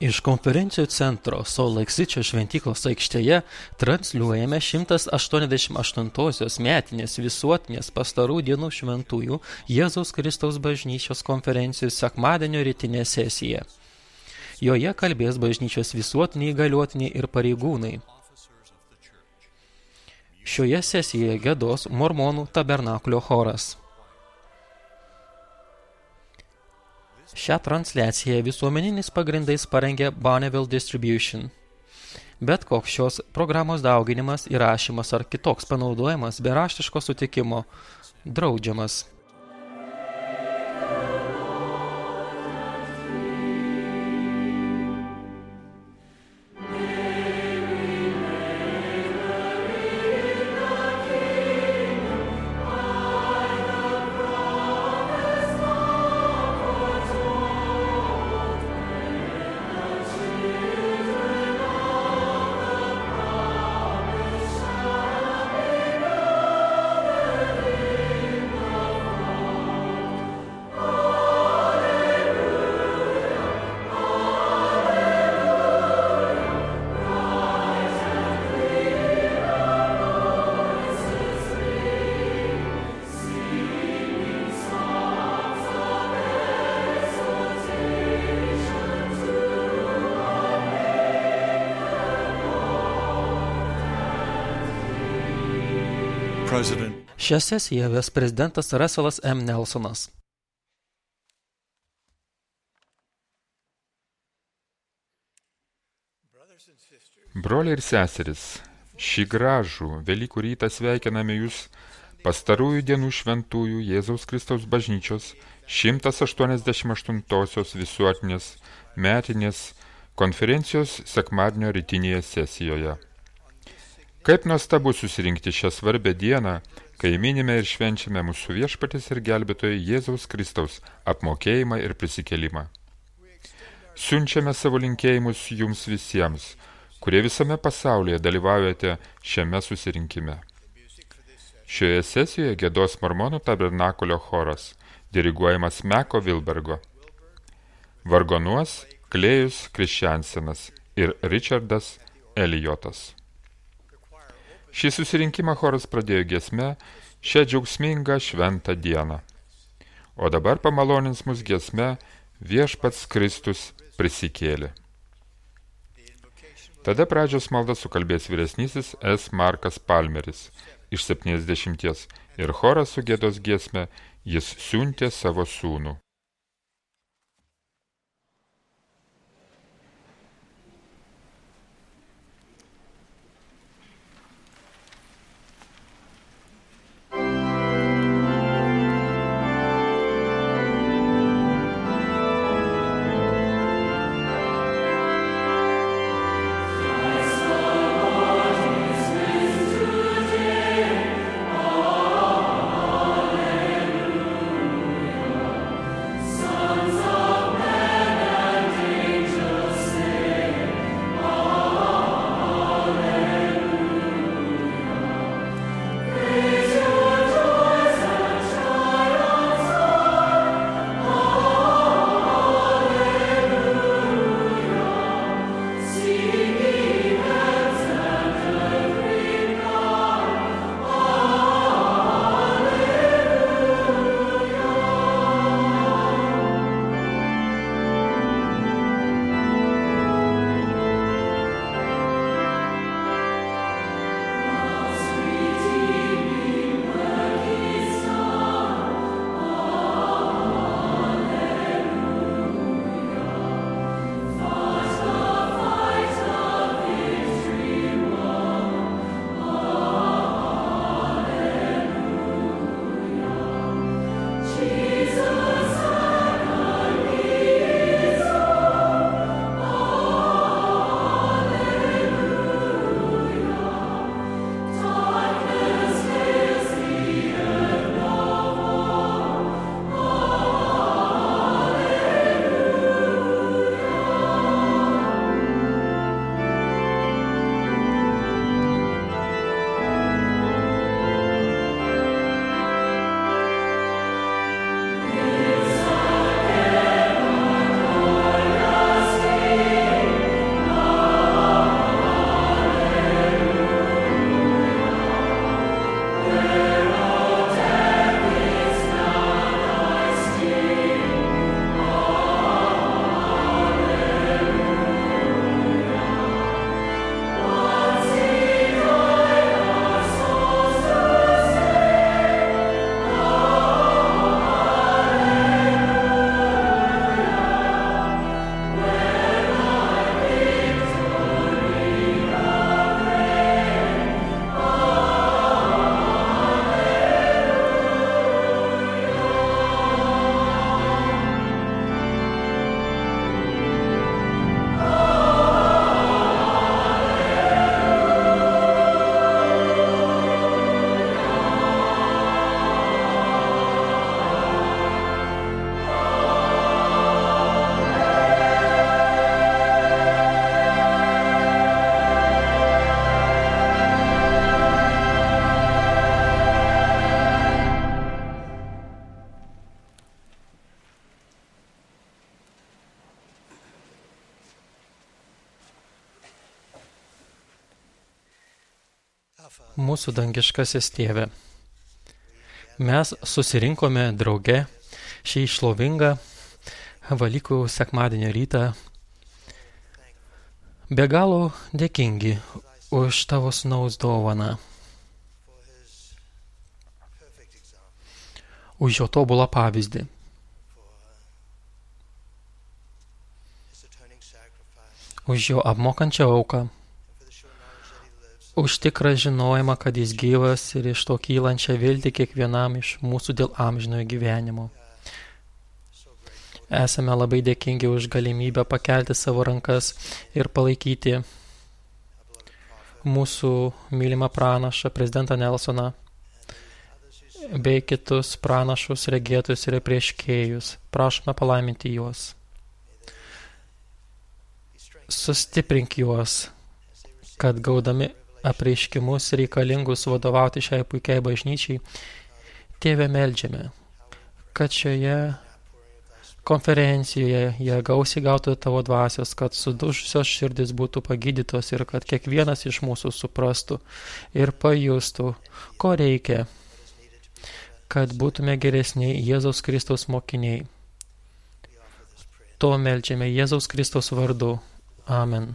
Iš konferencijų centro Salt Lake City šventyklos aikštėje transliuojame 188-osios metinės visuotinės pastarų dienų šventųjų Jėzaus Kristaus bažnyčios konferencijų sekmadienio rytinę sesiją. Joje kalbės bažnyčios visuotiniai įgaliotiniai ir pareigūnai. Šioje sesijoje giedos Mormonų tabernakulio choras. Šią transliaciją visuomeninis pagrindais parengė Bonneville Distribution. Bet koks šios programos dauginimas, įrašymas ar kitoks panaudojimas be raštiško sutikimo draudžiamas. Šią sesiją ves prezidentas Russellas M. Nelsonas. Broliai ir seseris, šį gražų Velykų rytą sveikiname jūs pastarųjų dienų šventųjų Jėzaus Kristaus bažnyčios 188-osios visuotinės metinės konferencijos sekmadienio rytinėje sesijoje. Kaip nuostabu susirinkti šią svarbę dieną, kai minime ir švenčiame mūsų viešpaties ir gelbėtojo Jėzaus Kristaus apmokėjimą ir prisikėlimą. Siunčiame savo linkėjimus jums visiems, kurie visame pasaulyje dalyvaujate šiame susirinkime. Šioje sesijoje giedos Mormonų tabernakulio choras, diriguojamas Meko Wilbergo. Vargonuos Klėjus Kriščiansenas ir Richardas Elijotas. Šį susirinkimą choras pradėjo giesme šią džiaugsmingą šventą dieną. O dabar pamalonins mus giesme Viešpats Kristus prisikėlė. Tada pradžios maldą sukalbės vyresnysis S. Markas Palmeris iš 70 ir choras sugiedos giesme Jis siuntė savo sūnų. Mūsų dangiškasis tėve, mes susirinkome drauge šį šlovingą Velykų sekmadienio rytą, be galo dėkingi už tavo sūnaus dovaną, už jo tobulą pavyzdį, už jo apmokančią auką, už tikrą žinojimą, kad jis gyvas ir iš to kylančią viltį kiekvienam iš mūsų dėl amžinojo gyvenimo. Esame labai dėkingi už galimybę pakelti savo rankas ir palaikyti mūsų mylimą pranašą, prezidentą Nelsoną, bei kitus pranašus, regėtus ir prieškėjus. Prašome palaiminti juos. Sustiprink juos, kad gaudami apreiškimus reikalingus vadovauti šiai puikiai bažnyčiai, Tėve, meldžiame, kad šioje konferencijoje jie gausiai gautų tavo dvasios, kad sudužusios širdis būtų pagydytos ir kad kiekvienas iš mūsų suprastų ir pajustų, ko reikia, kad būtume geresni Jėzaus Kristaus mokiniai. To meldžiame Jėzaus Kristaus vardu. Amen.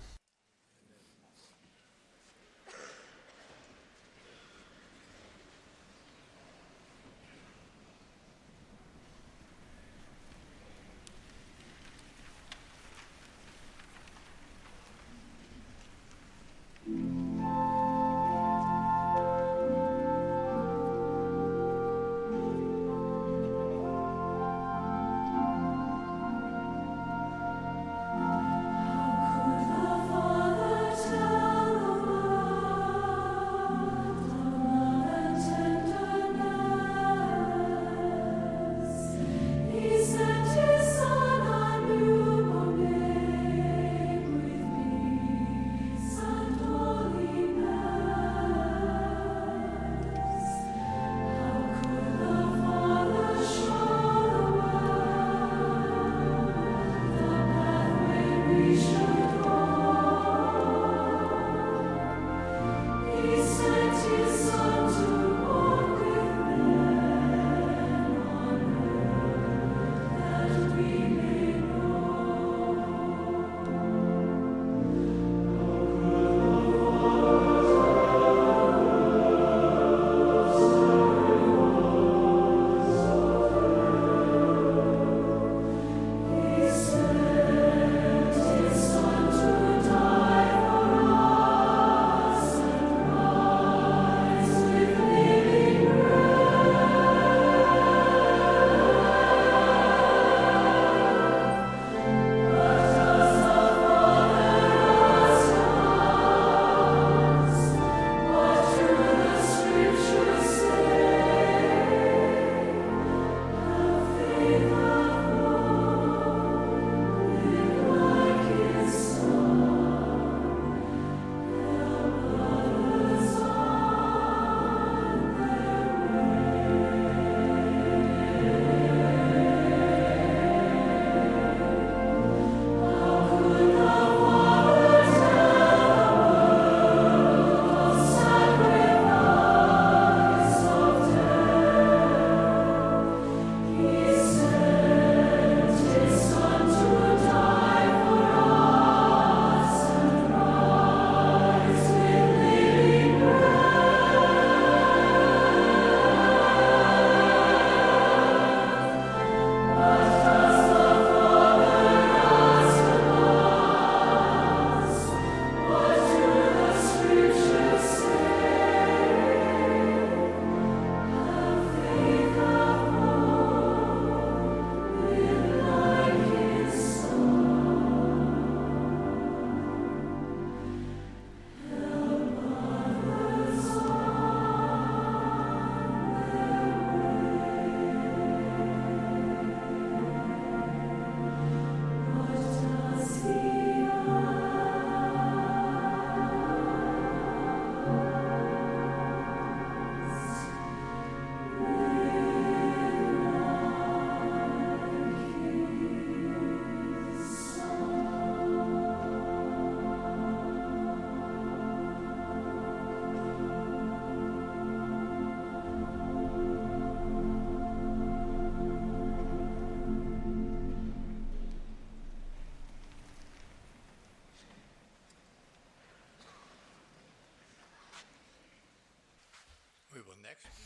Son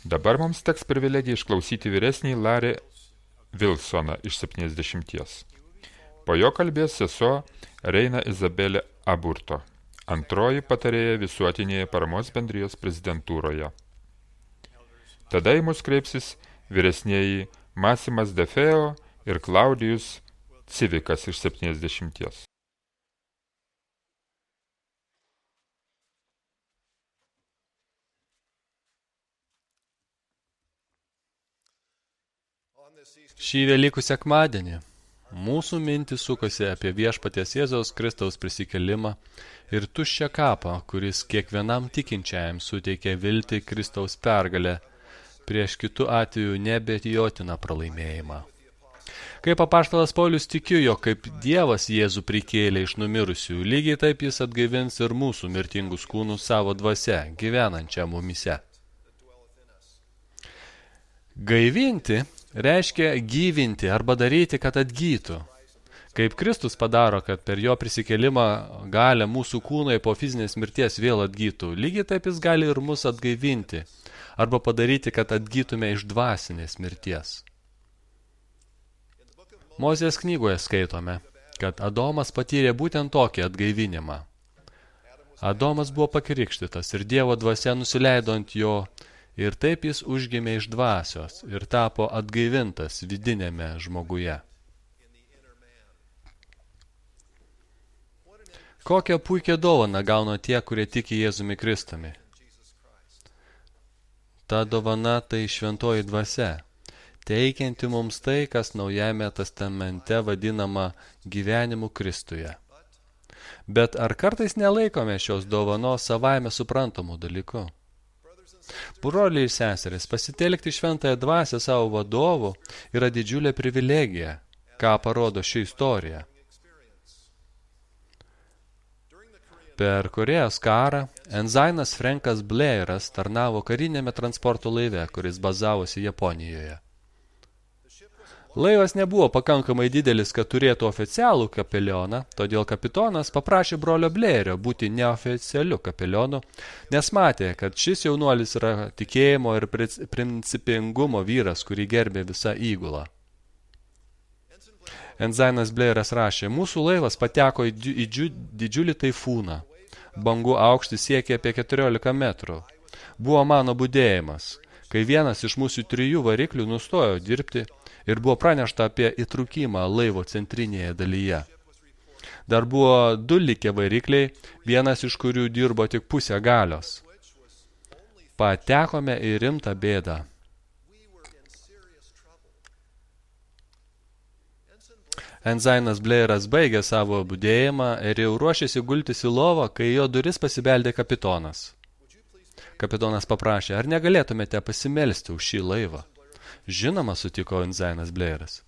Dabar mums teks privilegija išklausyti vyresnį Larry Wilsoną iš 70. Po jo kalbės sesuo Reina Izabelė Aburto, antroji patarėja visuotinėje paramos bendrijos prezidentūroje. Tada į mus kreipsis vyresnieji Masimas Defeo ir Klaudijus Civikas iš 70. Šį Velykų sekmadienį mūsų mintys sukosi apie viešpaties Jėzaus Kristaus prisikelimą ir tuščią kapą, kuris kiekvienam tikinčiajam suteikia viltį Kristaus pergalę prieš kitų atveju neabejotiną pralaimėjimą. Kaip apaštalas Paulius tikiu, jog kaip Dievas Jėzų prikėlė iš numirusių, lygiai taip jis atgaivins ir mūsų mirtingus kūnus savo dvasia, gyvenančią mumise. Gaivinti reiškia gyvinti arba daryti, kad atgytų. Kaip Kristus padaro, kad per jo prisikėlimą gali mūsų kūnai po fizinės mirties vėl atgytų, lygiai taip jis gali ir mus atgaivinti arba padaryti, kad atgytume iš dvasinės mirties. Mozės knygoje skaitome, kad Adomas patyrė būtent tokį atgaivinimą. Adomas buvo pakrikštytas ir Dievo dvasia nusileido ant jo ir taip jis užgimė iš dvasios ir tapo atgaivintas vidinėme žmoguje. Kokią puikią dovaną gauna tie, kurie tiki Jėzumi Kristumi. Ta dovana tai šventoji dvasia, teikianti mums tai, kas Naujajame testamente vadinama gyvenimu Kristuje. Bet ar kartais nelaikome šios dovanos savaime suprantamų dalykų? Broliai ir seserys, pasitelkti šventąją dvasią savo vadovų yra didžiulė privilegija, ką parodo ši istorija. Per Korėjos karą Enzainas Frankas Blairas tarnavo karinėme transporto laive, kuris bazavosi Japonijoje. Laivas nebuvo pakankamai didelis, kad turėtų oficialų kapelioną, todėl kapitonas paprašė brolio Blairio būti neoficialiu kapelionu, nes matė, kad šis jaunuolis yra tikėjimo ir principingumo vyras, kurį gerbė visa įgula. Enzainas Blairas rašė, mūsų laivas pateko į didžiulį taifūną. Bangų aukštis siekė apie 14 metrų. Buvo mano budėjimas, kai vienas iš mūsų 3 variklių nustojo dirbti ir buvo pranešta apie įtrūkimą laivo centrinėje dalyje. Dar buvo 2 likę varikliai, vienas iš kurių dirbo tik pusę galios. Patekome į rimtą bėdą. Enzainas Blairas baigė savo budėjimą ir jau ruošėsi gultis į lovą, kai jo duris pasibeldė kapitonas. Kapitonas paprašė, ar negalėtumėte pasimelsti už šį laivą? Žinoma, sutiko Enzainas Blairas.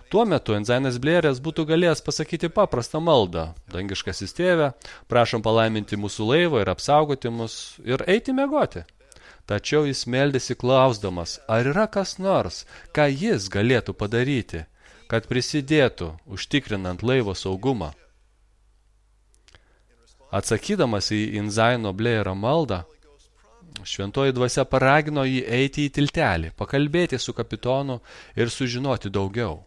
Tuo metu Enzainas Blairas būtų galėjęs pasakyti paprastą maldą. Dangiškasis tėve, prašom palaiminti mūsų laivą ir apsaugoti mus ir eiti miegoti. Tačiau jis meldėsi klausdamas, ar yra kas nors, ką jis galėtų padaryti, kad prisidėtų, užtikrinant laivo saugumą. Atsakydamas į Enzaino Blairo maldą, šventoji dvasia paragino jį eiti į tiltelį, pakalbėti su kapitonu ir sužinoti daugiau.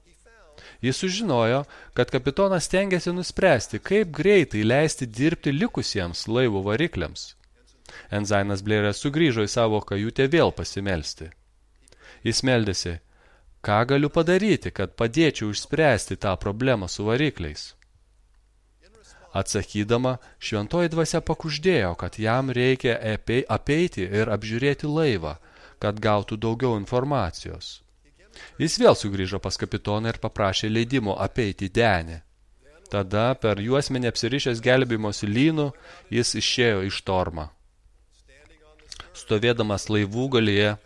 Jis sužinojo, kad kapitonas stengiasi nuspręsti, kaip greitai leisti dirbti likusiems laivo varikliams. Enzainas Blairas sugrįžo į savo kajutę vėl pasimelsti. Jis meldėsi, ką galiu padaryti, kad padėčiau išspręsti tą problemą su varikliais. Atsakydama, šventoji dvasia pakuždėjo, kad jam reikia apeiti ir apžiūrėti laivą, kad gautų daugiau informacijos. Jis vėl sugrįžo pas kapitoną ir paprašė leidimo apeiti denį. Tada per juosmenį apsirišęs gelbėjimosi lynų jis išėjo iš tormą. Stovėdamas laivų galyje,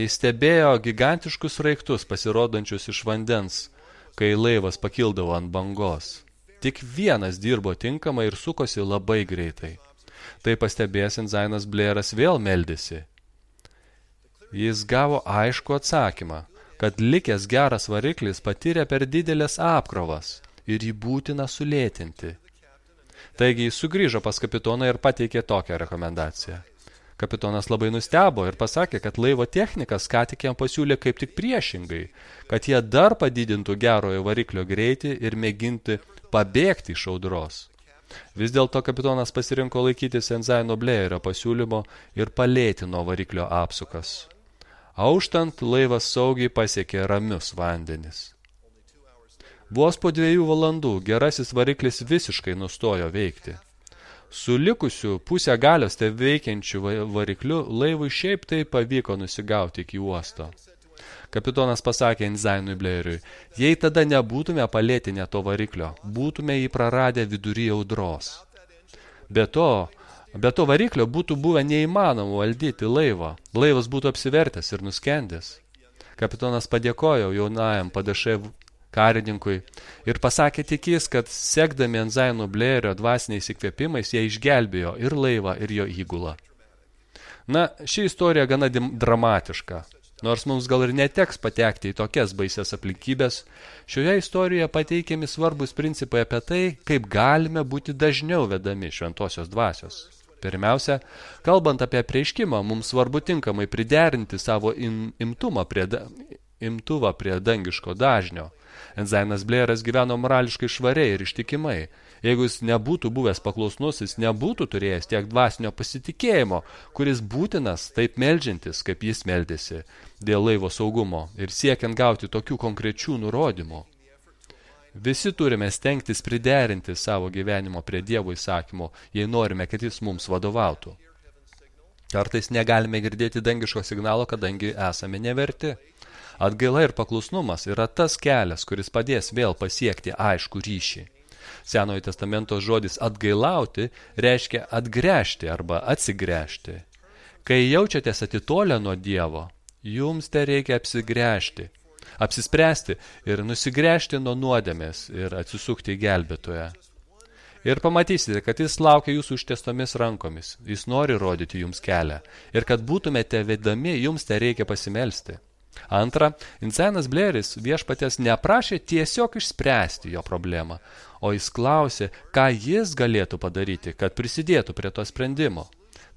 jis stebėjo gigantiškus sraigtus pasirodančius iš vandens, kai laivas pakildavo ant bangos. Tik vienas dirbo tinkamai ir sukosi labai greitai. Tai pastebėjęs Enzainas Blairas vėl meldėsi. Jis gavo aišku atsakymą, kad likęs geras variklis patyrė per didelės apkrovas ir jį būtina sulėtinti. Taigi jis sugrįžo pas kapitoną ir pateikė tokią rekomendaciją. Kapitonas labai nustebo ir pasakė, kad laivo technikas ką tik jam pasiūlė kaip tik priešingai, kad jie dar padidintų gerojo variklio greitį ir mėginti pabėgti iš audros. Vis dėlto kapitonas pasirinko laikytis Enzaino Blėjerio pasiūlymo ir palėtino variklio apsukas. Auštant, laivas saugiai pasiekė ramius vandenis. Vos po 2 valandų gerasis variklis visiškai nustojo veikti. Su likusiu pusę galios veikiančiu varikliu laivui šiaip tai pavyko nusigauti iki uosto. Kapitonas pasakė Enzainui Blėjeriui, jei tada nebūtume palėtinę to variklio, būtume jį praradę vidury audros. Be to variklio būtų buvę neįmanoma valdyti laivą. Laivas būtų apsivertęs ir nuskendęs. Kapitonas padėkojo jaunajam padašai karininkui ir pasakė tikis, kad sekdami Enzaino Blėjerio dvasiniais įkvėpimais jie išgelbėjo ir laivą, ir jo įgulą. Na, ši istorija gana dramatiška. Nors mums gal ir neteks patekti į tokias baisias aplinkybės, šioje istorijoje pateikiami svarbus principai apie tai, kaip galime būti dažniau vedami šventosios dvasios. Pirmiausia, kalbant apie apreiškimą, mums svarbu tinkamai priderinti savo imtuvą prie dangiško dažnio. Enzainas Blėjeras gyveno morališkai švariai ir ištikimai. Jeigu jis nebūtų buvęs paklusnus, jis nebūtų turėjęs tiek dvasinio pasitikėjimo, kuris būtinas taip meldžiantis, kaip jis meldėsi, dėl laivo saugumo ir siekiant gauti tokių konkrečių nurodymų. Visi turime stengtis priderinti savo gyvenimo prie Dievo įsakymo, jei norime, kad jis mums vadovautų. Kartais negalime girdėti dangiško signalo, kadangi esame neverti. Atgaila ir paklusnumas yra tas kelias, kuris padės vėl pasiekti aiškų ryšį. Senojo testamento žodis atgailauti reiškia atgręžti arba atsigręžti. Kai jaučiatės atitolę nuo Dievo, jums te reikia apsispręsti ir nusigręžti nuo nuodėmės ir atsisukti į gelbėtoją. Ir pamatysite, kad jis laukia jūsų užtiestomis rankomis, jis nori rodyti jums kelią ir kad būtumėte vedami, jums te reikia pasimelsti. Antra, Enzainas Blėjeris viešpaties neprašė tiesiog išspręsti jo problemą, o jis klausė, ką jis galėtų padaryti, kad prisidėtų prie to sprendimo.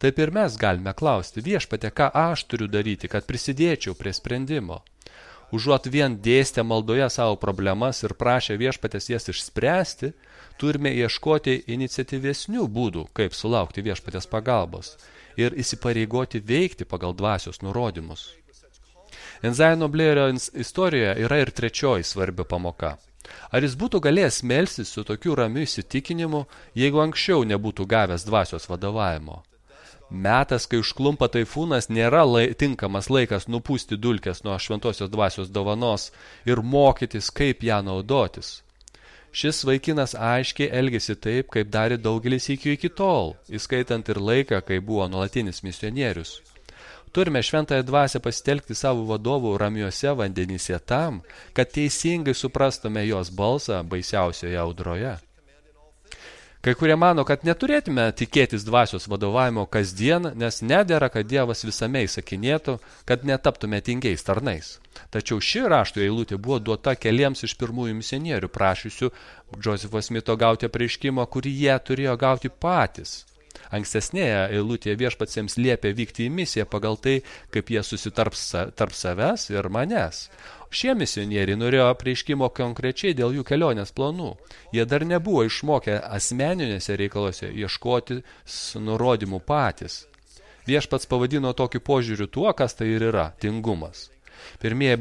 Taip ir mes galime klausti, viešpatie, ką aš turiu daryti, kad prisidėčiau prie sprendimo. Užuot vien dėstę maldoje savo problemas ir prašę viešpatės jas išspręsti, turime ieškoti iniciatyvesnių būdų, kaip sulaukti viešpatės pagalbos ir įsipareigoti veikti pagal dvasios nurodymus. Enzaino Blėjerio istorijoje yra ir trečioji svarbi pamoka. Ar jis būtų galėjęs melstis su tokiu ramiu įsitikinimu, jeigu anksčiau nebūtų gavęs dvasios vadovavimo? Metas, kai užklumpa taifūnas, nėra tinkamas laikas nupūsti dulkes nuo šventosios dvasios dovanos ir mokytis, kaip ją naudotis. Šis vaikinas aiškiai elgėsi taip, kaip darė daugelis iki tol, įskaitant ir laiką, kai buvo nuolatinis misionierius. Turime šventąją dvasią pasitelkti savo vadovų ramiuose vandenyse tam, kad teisingai suprastume jos balsą baisiausioje audroje. Kai kurie mano, kad neturėtume tikėtis dvasios vadovavimo kasdien, nes nedera, kad Dievas visame įsakinėtų, kad netaptume tingiais tarnais. Tačiau ši rašto eilutė buvo duota keliems iš pirmųjų misionierių prašysių Josepho Smito gauti apreiškimą, kurį jie turėjo gauti patys. Ankstesnėje eilutėje viešpats jiems liepė vykti į misiją pagal tai, kaip jie susitarps tarp savęs ir manęs. Šie misionieriai norėjo apreiškimo konkrečiai dėl jų kelionės planų. Jie dar nebuvo išmokę asmeninėse reikaluose ieškoti nurodymų patys. Viešpats pavadino tokį požiūrių tuo, kas tai ir yra – tingumas. Pirmieji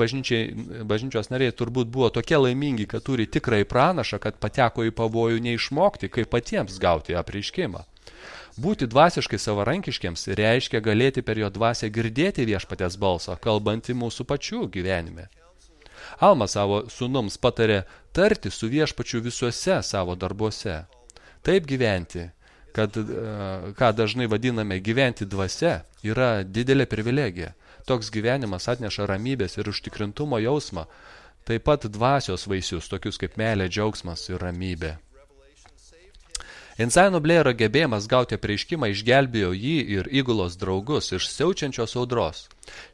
bažnyčios nariai turbūt buvo tokie laimingi, kad turi tikrai pranašą, kad pateko į pavojų neišmokti, kaip patiems gauti apreiškimą. Būti dvasiškai savarankiškiams reiškia galėti per jo dvasią girdėti viešpatės balsą, kalbantį mūsų pačių gyvenime. Alma savo sūnums patarė tarti su viešpačiu visuose savo darbuose. Taip gyventi, ką dažnai vadiname gyventi dvasia, yra didelė privilegija. Toks gyvenimas atneša ramybės ir užtikrintumo jausmą, taip pat dvasios vaisius, tokius kaip meilė, džiaugsmas ir ramybė. Einzaino Blairo gebėjimas gauti apreiškimą išgelbėjo jį ir įgulos draugus iš siaučiančios audros.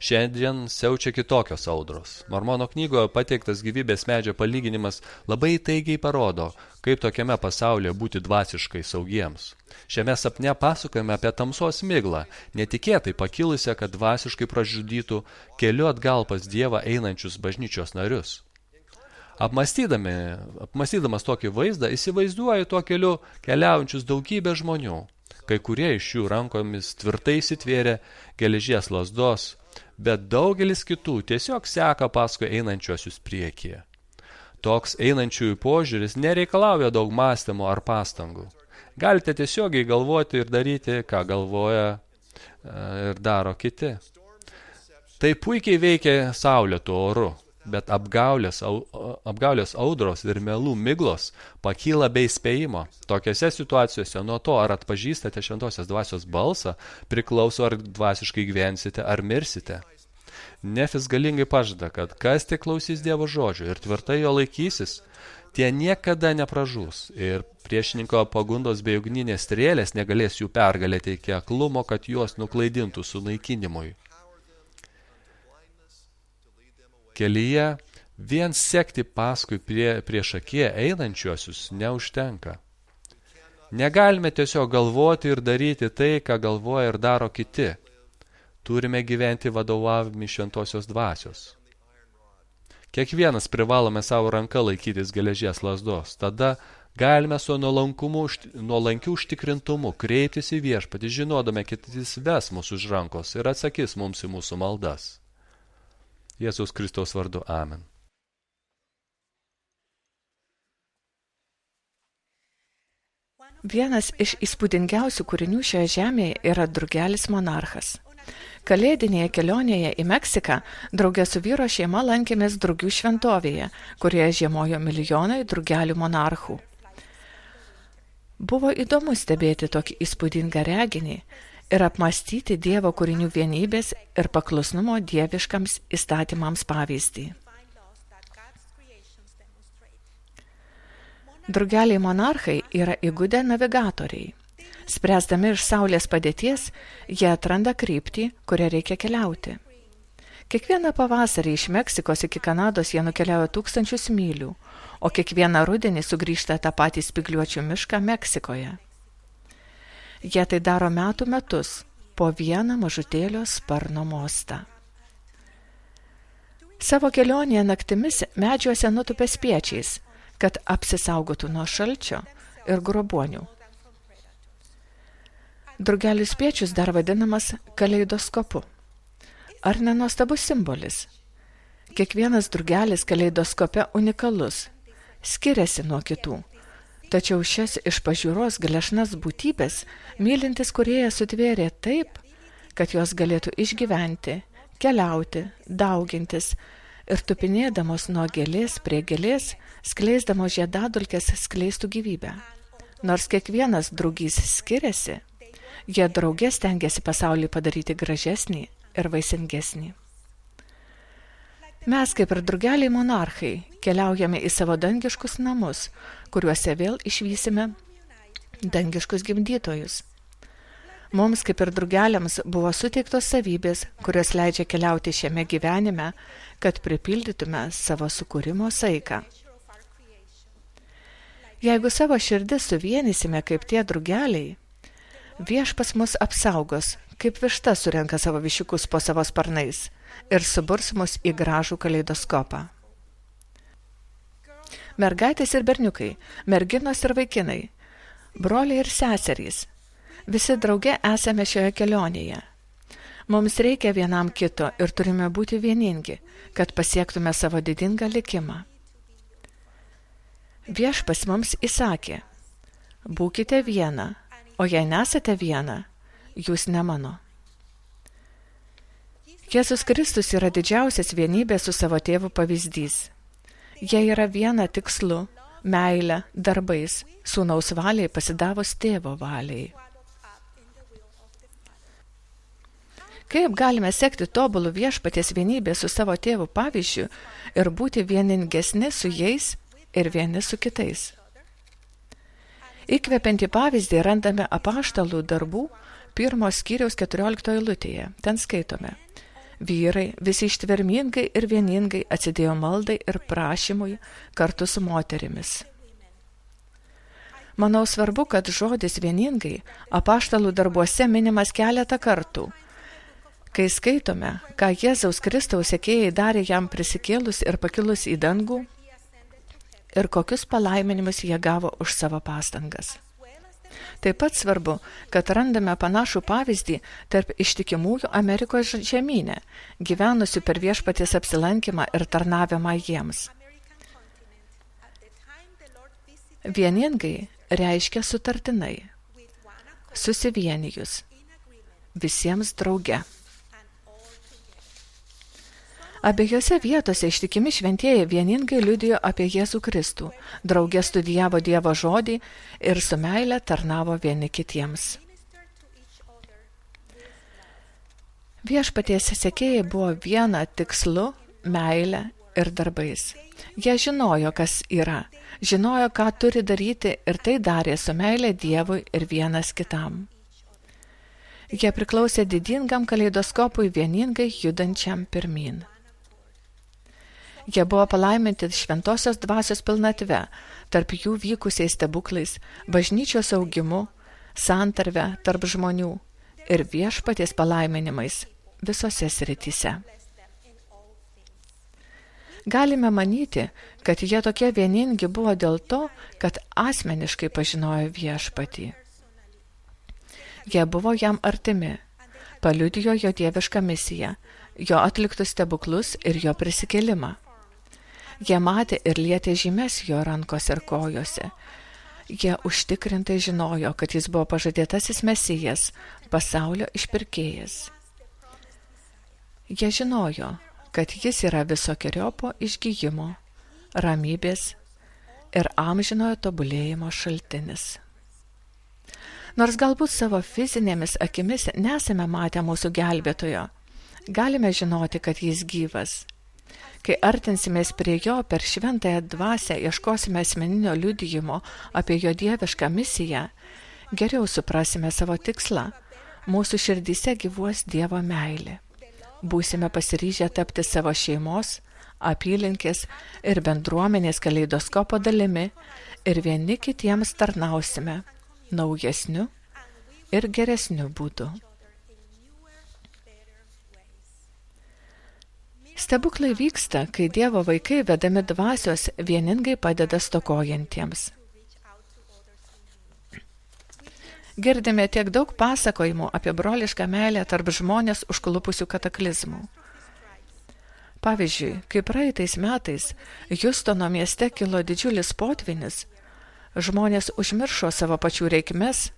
Šiandien siaučia kitokios audros. Mormono knygoje pateiktas gyvybės medžio palyginimas labai įtaigiai parodo, kaip tokiame pasaulyje būti dvasiškai saugiems. Šiame sapne pasakojame apie tamsos miglą, netikėtai pakilusią, kad dvasiškai pražudytų keliu atgal pas Dievą einančius bažnyčios narius. Apmąstydamas tokį vaizdą, įsivaizduoju tuo keliu keliaujančius daugybę žmonių. Kai kurie iš jų rankomis tvirtai įsitvėrė geležies lazdos, bet daugelis kitų tiesiog seka paskui einančiuosius priekyje. Toks einančiųjų požiūris nereikalauja daug mąstymo ar pastangų. Galite tiesiogiai galvoti ir daryti, ką galvoja ir daro kiti. Tai puikiai veikia saulėtų oru. Bet apgaulės audros ir melų miglos pakyla be įspėjimo. Tokiose situacijose nuo to, ar atpažįstate šventosios dvasios balsą, priklauso, ar dvasiškai gyvensite, ar mirsite. Nefis galingai pažada, kad kas tik klausys Dievo žodžio ir tvirtai jo laikysis, tie niekada nepražūs ir priešininko pagundos bei ugninės strėlės negalės jų pergalėti iki aklumo, kad juos nuklaidintų sunaikinimui. Kelyje vien sekti paskui prieš akiją einančiuosius neužtenka. Negalime tiesiog galvoti ir daryti tai, ką galvoja ir daro kiti. Turime gyventi vadovaujami šventosios dvasios. Kiekvienas privalome savo ranką laikytis geležies lazdos. Tada galime su nuolankiu užtikrintumu kreiptis į viešpatį, žinodami, kad jis ves mūsų už rankos ir atsakys mums į mūsų maldas. Jėzaus Kristaus vardu. Amen. Vienas iš įspūdingiausių kūrinių šioje žemėje yra drugelis monarchas. Kalėdinėje kelionėje į Meksiką drauge su vyro šeima lankėmės drugių šventovėje, kurioje žiemojo milijonai drugelių monarchų. Buvo įdomu stebėti tokį įspūdingą reginį ir apmąstyti Dievo kūrinių vienybės ir paklusnumo dieviškams įstatymams pavyzdį. Drugeliai monarchai yra įgudę navigatoriai. Spręsdami iš saulės padėties, jie atranda kryptį, kurią reikia keliauti. Kiekvieną pavasarį iš Meksikos iki Kanados jie nukeliauja 1000 mylių, o kiekvieną rudenį sugrįžta tą patį spygliuočių mišką Meksikoje. Jie tai daro metų metus, po vieną mažutėlio sparno mostą. Savo kelionėje naktimis medžiuose nutupia spiečiais, kad apsisaugotų nuo šalčio ir grobuonių. Drugelių spiečius dar vadinamas kaleidoskopu. Ar nenuostabus simbolis? Kiekvienas drugelis kaleidoskope unikalus, skiriasi nuo kitų. Tačiau šias iš pažiūros gležnas būtybės mylintis kūrėjas sutvėrė taip, kad jos galėtų išgyventi, keliauti, daugintis ir tupinėdamos nuo gėlės prie gėlės, skleisdamos žiedadulkes skleistų gyvybę. Nors kiekvienas drugys skiriasi, jie drauge stengiasi pasaulį padaryti gražesnį ir vaisingesnį. Mes, kaip ir drugeliai monarchai, keliaujame į savo dangiškus namus, kuriuose vėl išvysime dangiškus gimdytojus. Mums, kaip ir drugeliams, buvo suteiktos savybės, kurios leidžia keliauti šiame gyvenime, kad pripildytume savo sukūrimo saiką. Jeigu savo širdis suvienysime kaip tie drugeliai, viešpas mus apsaugos, kaip višta surenka savo višiukus po savo sparnais ir suburs mus į gražų kaleidoskopą. Mergaitės ir berniukai, merginos ir vaikinai, broliai ir seserys, visi drauge esame šioje kelionėje. Mums reikia vienam kito ir turime būti vieningi, kad pasiektume savo didingą likimą. Viešpas mums įsakė, būkite viena, o jei nesate viena, jūs ne mano. Jėzus Kristus yra didžiausias vienybės su savo tėvu pavyzdys. Jie yra viena tikslu, meile, darbais, sūnaus valiai pasidavus tėvo valiai. Kaip galime sekti tobulų viešpaties vienybę su savo tėvu pavyzdžiu ir būti vieningesni su jais ir vieni su kitais? Įkvepiantį pavyzdį randame apaštalų darbų 1 skyriaus 14 eilutėje. Ten skaitome: vyrai visi ištvermingai ir vieningai atsidėjo maldai ir prašymui kartu su moterimis. Manau svarbu, kad žodis vieningai apaštalų darbuose minimas keletą kartų. Kai skaitome, ką Jėzaus Kristaus sekėjai darė jam prisikėlus ir pakilus į dangų ir kokius palaiminimus jie gavo už savo pastangas. Taip pat svarbu, kad randame panašų pavyzdį tarp ištikimųjų Amerikos žemyne, gyvenusių per Viešpaties apsilankymą ir tarnavimą jiems. Vieningai reiškia sutartinai, susivienijus, visiems drauge. Abiejose vietose ištikimi šventieji vieningai liudijo apie Jėzų Kristų, drauge studijavo Dievo žodį ir su meile tarnavo vieni kitiems. Viešpaties sekėjai buvo viena tikslu, meile ir darbais. Jie žinojo, kas yra, žinojo, ką turi daryti ir tai darė su meile Dievui ir vienas kitam. Jie priklausė didingam kaleidoskopui vieningai judančiam pirmyn. Jie buvo palaiminti šventosios dvasios pilnatve, tarp jų vykusiais stebuklais, bažnyčios augimu, santarve tarp žmonių ir Viešpaties palaiminimais visose srityse. Galime manyti, kad jie tokie vieningi buvo dėl to, kad asmeniškai pažinojo Viešpatį. Jie buvo jam artimi, paliudijo jo dievišką misiją, jo atliktus stebuklus ir jo prisikėlimą. Jie matė ir lietė žymes jo rankos ir kojose. Jie užtikrintai žinojo, kad jis buvo pažadėtasis Mesijas, pasaulio išpirkėjas. Jie žinojo, kad jis yra visokeriopo išgyjimo, ramybės ir amžinojo tobulėjimo šaltinis. Nors galbūt savo fizinėmis akimis nesame matę mūsų gelbėtojo, galime žinoti, kad jis gyvas. Kai artinsimės prie jo per šventąją dvasią, ieškosime asmeninio liudijimo apie jo dievišką misiją, geriau suprasime savo tikslą. Mūsų širdyse gyvuos Dievo meilė. Būsime pasiryžę tapti savo šeimos, apylinkės ir bendruomenės kaleidoskopo dalimi ir vieni kitiems tarnausime naujesniu ir geresniu būdu. Stebuklai vyksta, kai Dievo vaikai vedami dvasios vieningai padeda stokojantiems. Girdime tiek daug pasakojimų apie brolišką meilę tarp žmonės užklupusių kataklizmų. Pavyzdžiui, kai praeitais metais Hjustono mieste kilo didžiulis potvynis, žmonės užmiršo savo pačių reikmes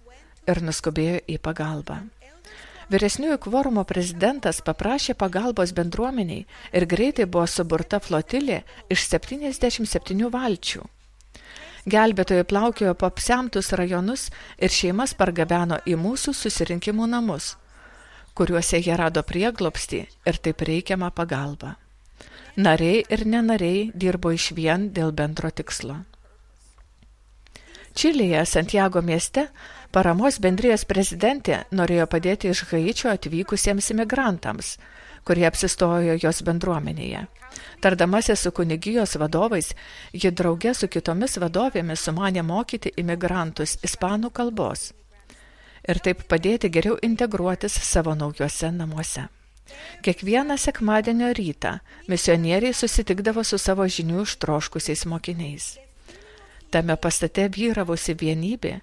ir nuskubėjo į pagalbą. Vyresniųjų kvorumo prezidentas paprašė pagalbos bendruomeniai ir greitai buvo suburta flotilė iš 77 valčių. Gelbėtojai plaukiojo po apsemtus rajonus ir šeimas pargabeno į mūsų susirinkimų namus, kuriuose jie rado prieglobstį ir taip reikiamą pagalbą. Nariai ir nenariai dirbo išvien dėl bendro tikslo. Čilėje, Santiago mieste, paramos bendrijos prezidentė norėjo padėti iš Haičio atvykusiems imigrantams, kurie apsistojo jos bendruomenėje. Tardamasi su kunigijos vadovais, ji drauge su kitomis vadovėmis sumanė mokyti imigrantus ispanų kalbos ir taip padėti geriau integruotis savo naujuose namuose. Kiekvieną sekmadienio rytą misionieriai susitikdavo su savo žinių ištroškusiais mokiniais. Tame pastate vyravusi vienybė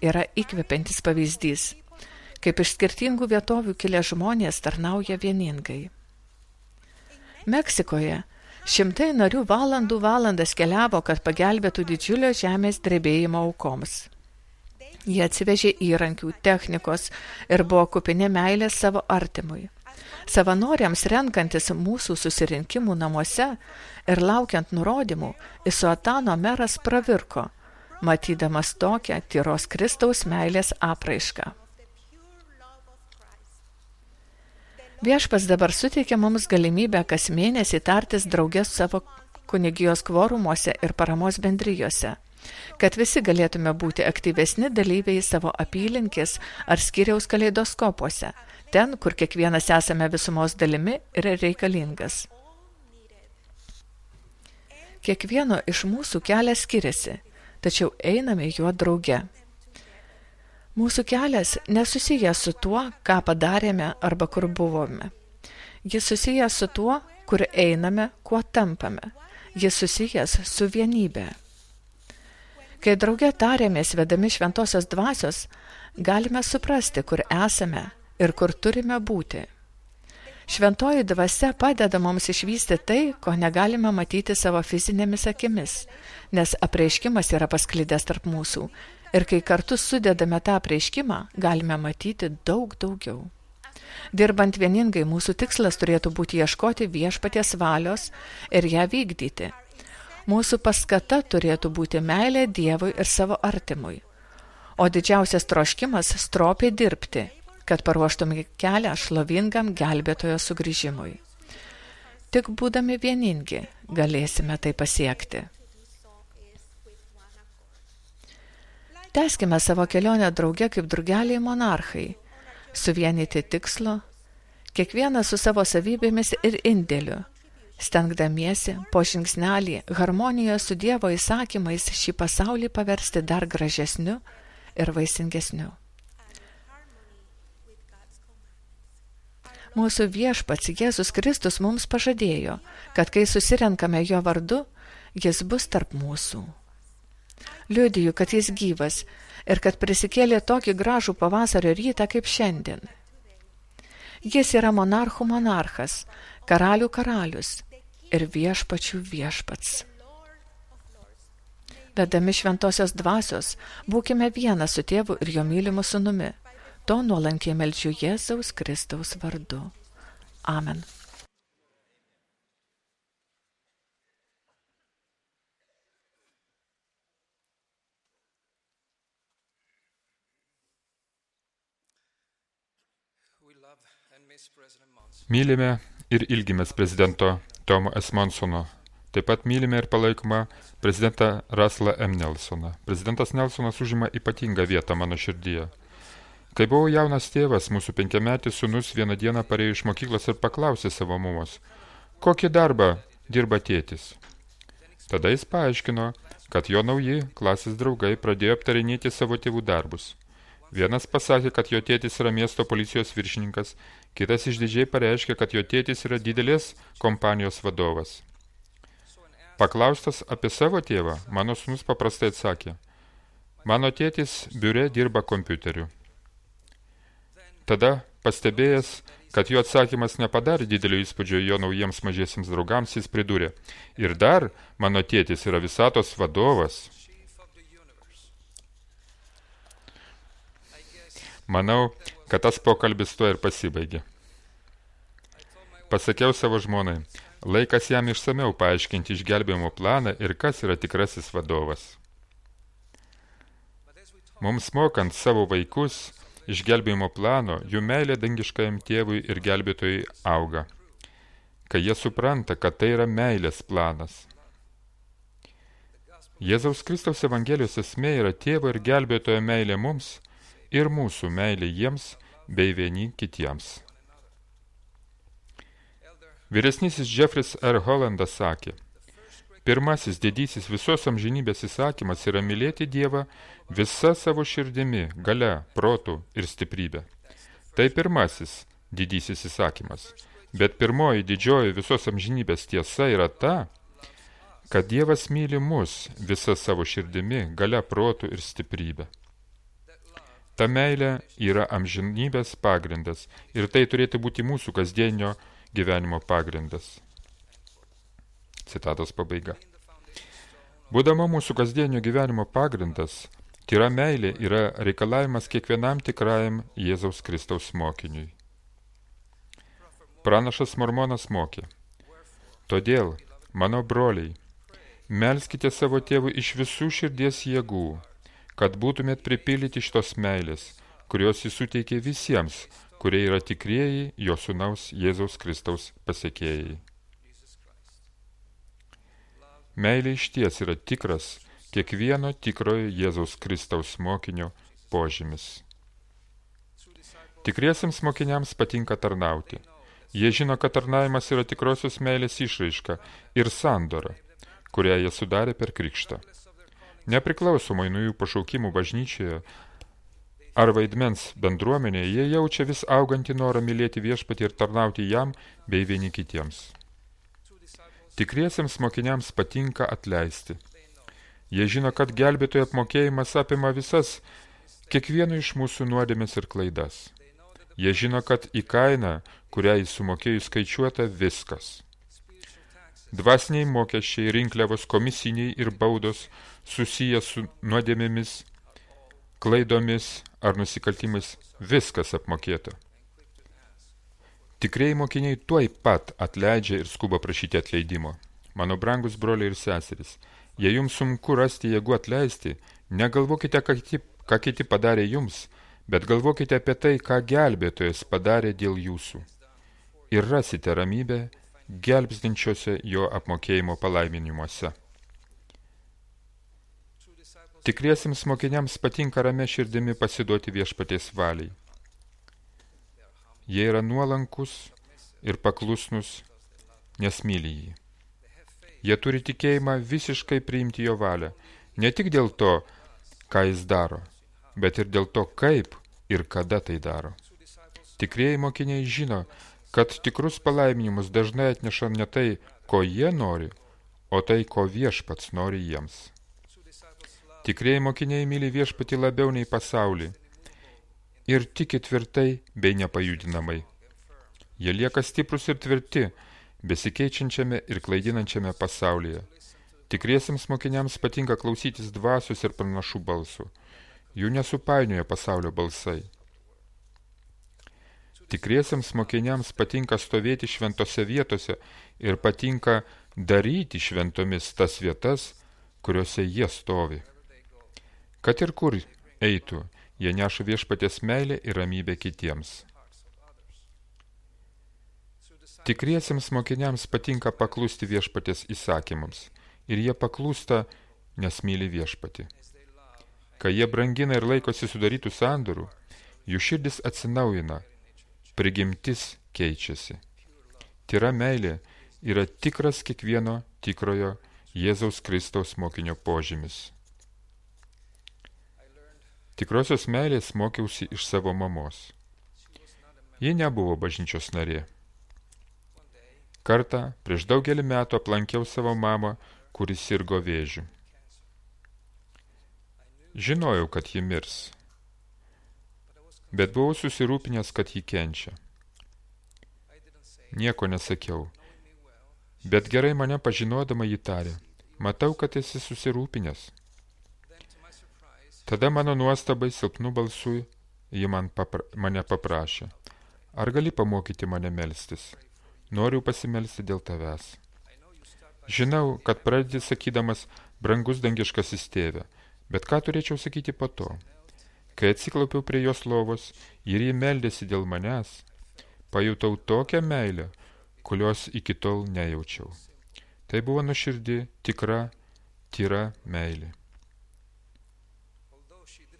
yra įkvepiantis pavyzdys, kaip iš skirtingų vietovių kilę žmonės tarnauja vieningai. Meksikoje šimtai narių valandas keliavo, kad pagelbėtų didžiulio žemės drebėjimo aukoms. Jie atsivežė įrankių, technikos ir buvo kupini meilės savo artimui. Savanoriams renkantis mūsų susirinkimų namuose ir laukiant nurodymų, Isuatano meras pravirko, matydamas tokią tyros Kristaus meilės apraišką. Viešpats dabar suteikia mums galimybę kas mėnesį tartis drauge savo kunigijos kvorumuose ir paramos bendrijose, kad visi galėtume būti aktyvesni dalyviai savo apylinkės ar skyriaus kaleidoskopuose, ten, kur kiekvienas esame visumos dalimi ir reikalingas. Kiekvieno iš mūsų kelias skiriasi, tačiau einame juo drauge. Mūsų kelias nesusijęs su tuo, ką padarėme arba kur buvome. Jis susijęs su tuo, kur einame, kuo tampame. Jis susijęs su vienybė. Kai drauge tarėmės vedami šventosios dvasios, galime suprasti, kur esame ir kur turime būti. Šventoji dvasia padeda mums išvysti tai, ko negalime matyti savo fizinėmis akimis, nes apreiškimas yra pasklidęs tarp mūsų ir kai kartu sudedame tą apreiškimą, galime matyti daug daugiau. Dirbant vieningai, mūsų tikslas turėtų būti ieškoti viešpaties valios ir ją vykdyti. Mūsų paskata turėtų būti meilė Dievui ir savo artimui, o didžiausias troškimas stropiai dirbti, kad paruoštume kelią šlovingam gelbėtojo sugrįžimui. Tik būdami vieningi galėsime tai pasiekti. Tęskime savo kelionę drauge kaip drugeliai monarchai, suvienyti tikslo, kiekvienas su savo savybėmis ir indėliu, stengdamiesi po žingsnelį harmonijoje su Dievo įsakymais šį pasaulį paversti dar gražesniu ir vaisingesniu. Mūsų viešpats Jėzus Kristus mums pažadėjo, kad kai susirenkame jo vardu, jis bus tarp mūsų. Liudiju, kad jis gyvas ir kad prisikėlė tokį gražų pavasario rytą kaip šiandien. Jis yra monarchų monarchas, karalių karalius ir viešpačių viešpats. Vedami šventosios dvasios, būkime viena su tėvu ir jo mylimu sūnumi. To nuolankiai meldžiu Jėzaus Kristaus vardu. Amen. Mylime ir ilgimės prezidento Tomo S. Monsono. Taip pat mylime ir palaikome prezidentą Russellą M. Nelsoną. Prezidentas Nelsonas užima ypatingą vietą mano širdyje. Kai buvau jaunas tėvas, mūsų 5-metis sūnus vieną dieną parėjo iš mokyklos ir paklausė savo mamos, kokį darbą dirba tėtis. Tada jis paaiškino, kad jo nauji klasės draugai pradėjo aptarinėti savo tėvų darbus. Vienas pasakė, kad jo tėtis yra miesto policijos viršininkas, kitas išdidžiai pareiškė, kad jo tėtis yra didelės kompanijos vadovas. Paklaustas apie savo tėvą, mano sūnus paprastai atsakė, mano tėtis biure dirba kompiuteriu. Tada, pastebėjęs, kad jo atsakymas nepadarė didelio įspūdžio jo naujiems mažiesiems draugams, jis pridūrė, ir dar mano tėtis yra visatos vadovas. Manau, kad tas pokalbis tuo ir pasibaigė. Pasakiau savo žmonai, laikas jam išsameu paaiškinti išgelbėjimo planą ir kas yra tikrasis vadovas. Mums mokant savo vaikus išgelbėjimo plano, jų meilė dangiškajam tėvui ir gelbėtojui auga, kai jie supranta, kad tai yra meilės planas. Jėzaus Kristaus Evangelijos esmė yra tėvo ir gelbėtojo meilė mums ir mūsų meilė jiems bei vieni kitiems. Vyresnysis Jeffris R. Hollandas sakė, pirmasis didysis visos amžinybės įsakymas yra mylėti Dievą visa savo širdimi, galia, protu ir stiprybė. Tai pirmasis didysis įsakymas. Bet pirmoji didžioji visos amžinybės tiesa yra ta, kad Dievas myli mus visa savo širdimi, galia, protu ir stiprybė. Ta meilė yra amžinybės pagrindas ir tai turėtų būti mūsų kasdienio gyvenimo pagrindas. Citatos pabaiga. Būdama mūsų kasdienio gyvenimo pagrindas, tyra meilė yra reikalavimas kiekvienam tikrajam Jėzaus Kristaus mokiniui. Pranašas Mormonas mokė, todėl, mano broliai, melskite savo tėvui iš visų širdies jėgų, kad būtumėt pripildyti šitos meilės, kurios jis suteikė visiems, kurie yra tikrieji jo sūnaus Jėzaus Kristaus pasekėjai. Meilė išties yra tikras kiekvieno tikrojo Jėzaus Kristaus mokinio požymis. Tikriesiems mokiniams patinka tarnauti. Jie žino, kad tarnavimas yra tikrosios meilės išraiška ir sandora, kurią jie sudarė per krikštą. Nepriklausomai nuo jų pašaukimų bažnyčioje ar vaidmens bendruomenėje, jie jaučia vis augantį norą mylėti viešpatį ir tarnauti jam bei vieni kitiems. Tikriesiems mokiniams patinka atleisti. Jie žino, kad gelbėtojo apmokėjimas apima visas kiekvieno iš mūsų nuodėmes ir klaidas. Jie žino, kad į kainą, kurią jis sumokėjo skaičiuota viskas. Dvasiniai mokesčiai, rinkliavos, komisiniai ir baudos susiję su nuodėmėmis, klaidomis ar nusikaltimais, viskas apmokėta. Tikrieji mokiniai tuoj pat atleidžia ir skuba prašyti atleidimo. Mano brangus broliai ir seserys, jei jums sunku rasti jėgų atleisti, negalvokite, ką kiti padarė jums, bet galvokite apie tai, ką gelbėtojas padarė dėl jūsų. Ir rasite ramybę gelbstinčiose jo apmokėjimo palaiminimuose. Tikriesiems mokiniams patinka ramia širdimi pasiduoti viešpaties valiai. Jie yra nuolankus ir paklusnus, nes myli jį. Jie turi tikėjimą visiškai priimti jo valią, ne tik dėl to, ką jis daro, bet ir dėl to, kaip ir kada tai daro. Tikrieji mokiniai žino, kad tikrus palaiminimus dažnai atneša ne tai, ko jie nori, o tai, ko viešpats nori jiems. Tikrieji mokiniai myli viešpatį labiau nei pasaulį ir tiki tvirtai bei nepajudinamai. Jie lieka stiprus ir tvirti, besikeičiančiame ir klaidinančiame pasaulyje. Tikriesiems mokiniams patinka klausytis dvasios ir pranašų balsų. Jų nesupainioja pasaulio balsai. Tikriesiems mokiniams patinka stovėti šventose vietose ir patinka daryti šventomis tas vietas, kuriuose jie stovi. Kad ir kur eitų, jie neša viešpaties meilę ir ramybę kitiems. Tikriesiems mokiniams patinka paklusti viešpaties įsakymams ir jie paklūsta, nes myli viešpatį. Kai jie brangina ir laikosi sudarytų sandorų, jų širdis atsinaujina, prigimtis keičiasi. Tyra meilė yra tikras kiekvieno tikrojo Jėzaus Kristaus mokinio požymis. Tikrosios meilės mokiausi iš savo mamos. Ji nebuvo bažnyčios narė. Kartą prieš daugelį metų aplankiau savo mamą, kuris sirgo vėžiu. Žinojau, kad ji mirs, bet buvau susirūpinęs, kad ji kenčia. Nieko nesakiau, bet gerai mane pažinodama ji tarė, matau, kad esi susirūpinęs. Tada mano nuostabai silpnu balsu ji mane paprašė, ar gali pamokyti mane melstis? Noriu pasimelsti dėl tavęs. Žinau, kad pradedi sakydamas brangus dangiškasis tėve, bet ką turėčiau sakyti po to? Kai atsiklaupiau prie jos lovos ir ji meldėsi dėl manęs, pajutau tokią meilę, kurios iki tol nejaučiau. Tai buvo nuoširdi, tikra, tyra meilė.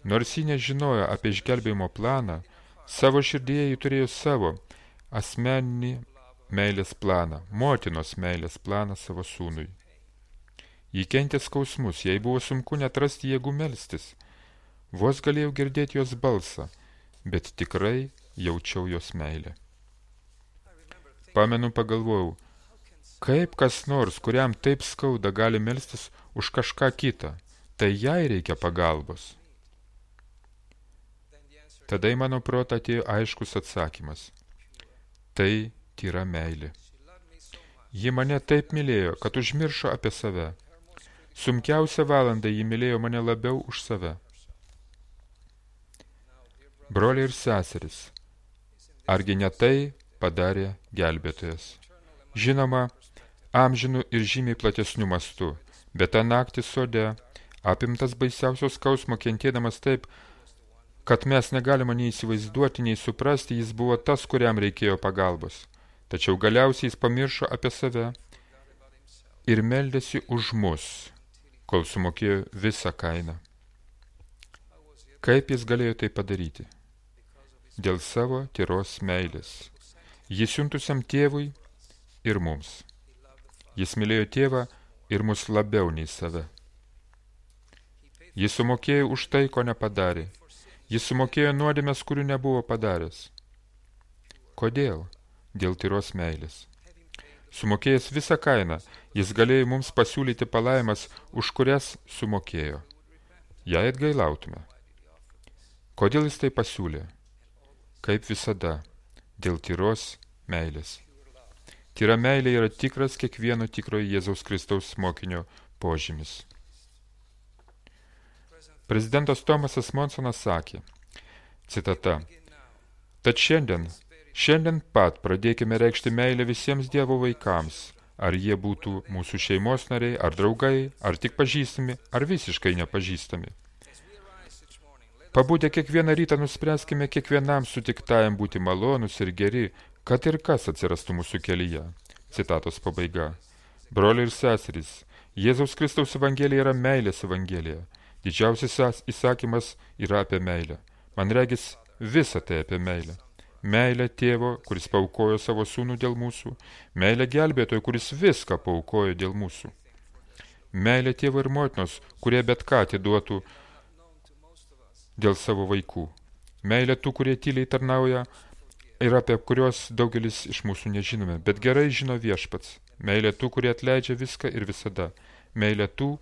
Nors ji nežinojo apie išgelbėjimo planą, savo širdyje ji turėjo savo asmeninį meilės planą, motinos meilės planą savo sūnui. Ji kentė skausmus, jai buvo sunku net rasti jėgų melstis. Vos galėjau girdėti jos balsą, bet tikrai jaučiau jos meilę. Pamenu, pagalvojau, kaip kas nors, kuriam taip skauda, gali melstis už kažką kitą, tai jai reikia pagalbos. Tada į mano protą atėjo aiškus atsakymas. Tai tyra meilė. Ji mane taip mylėjo, kad užmiršo apie save. Sunkiausią valandą ji mylėjo mane labiau už save. Broliai ir seserys, argi ne tai padarė gelbėtojas? Žinoma, amžinų ir žymiai platesnių mastų, bet tą naktį sode, apimtas baisiausios skausmo kentėdamas taip, kad mes negalime nei įsivaizduoti, nei suprasti, jis buvo tas, kuriam reikėjo pagalbos. Tačiau galiausiai jis pamiršo apie save ir meldėsi už mus, kol sumokėjo visą kainą. Kaip jis galėjo tai padaryti? Dėl savo tyros meilės. Jis siuntusiam tėvui ir mums. Jis mylėjo tėvą ir mus labiau nei save. Jis sumokėjo už tai, ko nepadarė. Jis sumokėjo nuodėmes, kurių nebuvo padaręs. Kodėl? Dėl tyros meilės. Sumokėjęs visą kainą, jis galėjo mums pasiūlyti palaimas, už kurias sumokėjo. Jei atgailautume. Kodėl jis tai pasiūlė? Kaip visada, dėl tyros meilės. Tyra meilė yra tikras kiekvieno tikrojo Jėzaus Kristaus mokinio požymis. Prezidentas Tomasas Monsonas sakė, citata, tad šiandien pat pradėkime reikšti meilę visiems Dievo vaikams, ar jie būtų mūsų šeimos nariai, ar draugai, ar tik pažįstami, ar visiškai nepažįstami. Pabudę kiekvieną rytą nuspręskime kiekvienam sutiktajam būti malonus ir geri, kad ir kas atsirastų mūsų kelyje. Citatos pabaiga. Broliai ir seserys, Jėzaus Kristaus evangelija yra meilės evangelija. Didžiausias įsakymas yra apie meilę. Man regis visa tai apie meilę. Meilė tėvo, kuris paaukojo savo sūnų dėl mūsų. Meilė gelbėtojo, kuris viską paaukojo dėl mūsų. Meilė tėvo ir motinos, kurie bet ką atiduotų dėl savo vaikų. Meilė tų, kurie tyliai tarnauja ir apie kurios daugelis iš mūsų nežinome, bet gerai žino Viešpats. Meilė tų, kurie atleidžia viską ir visada. Meilė tų,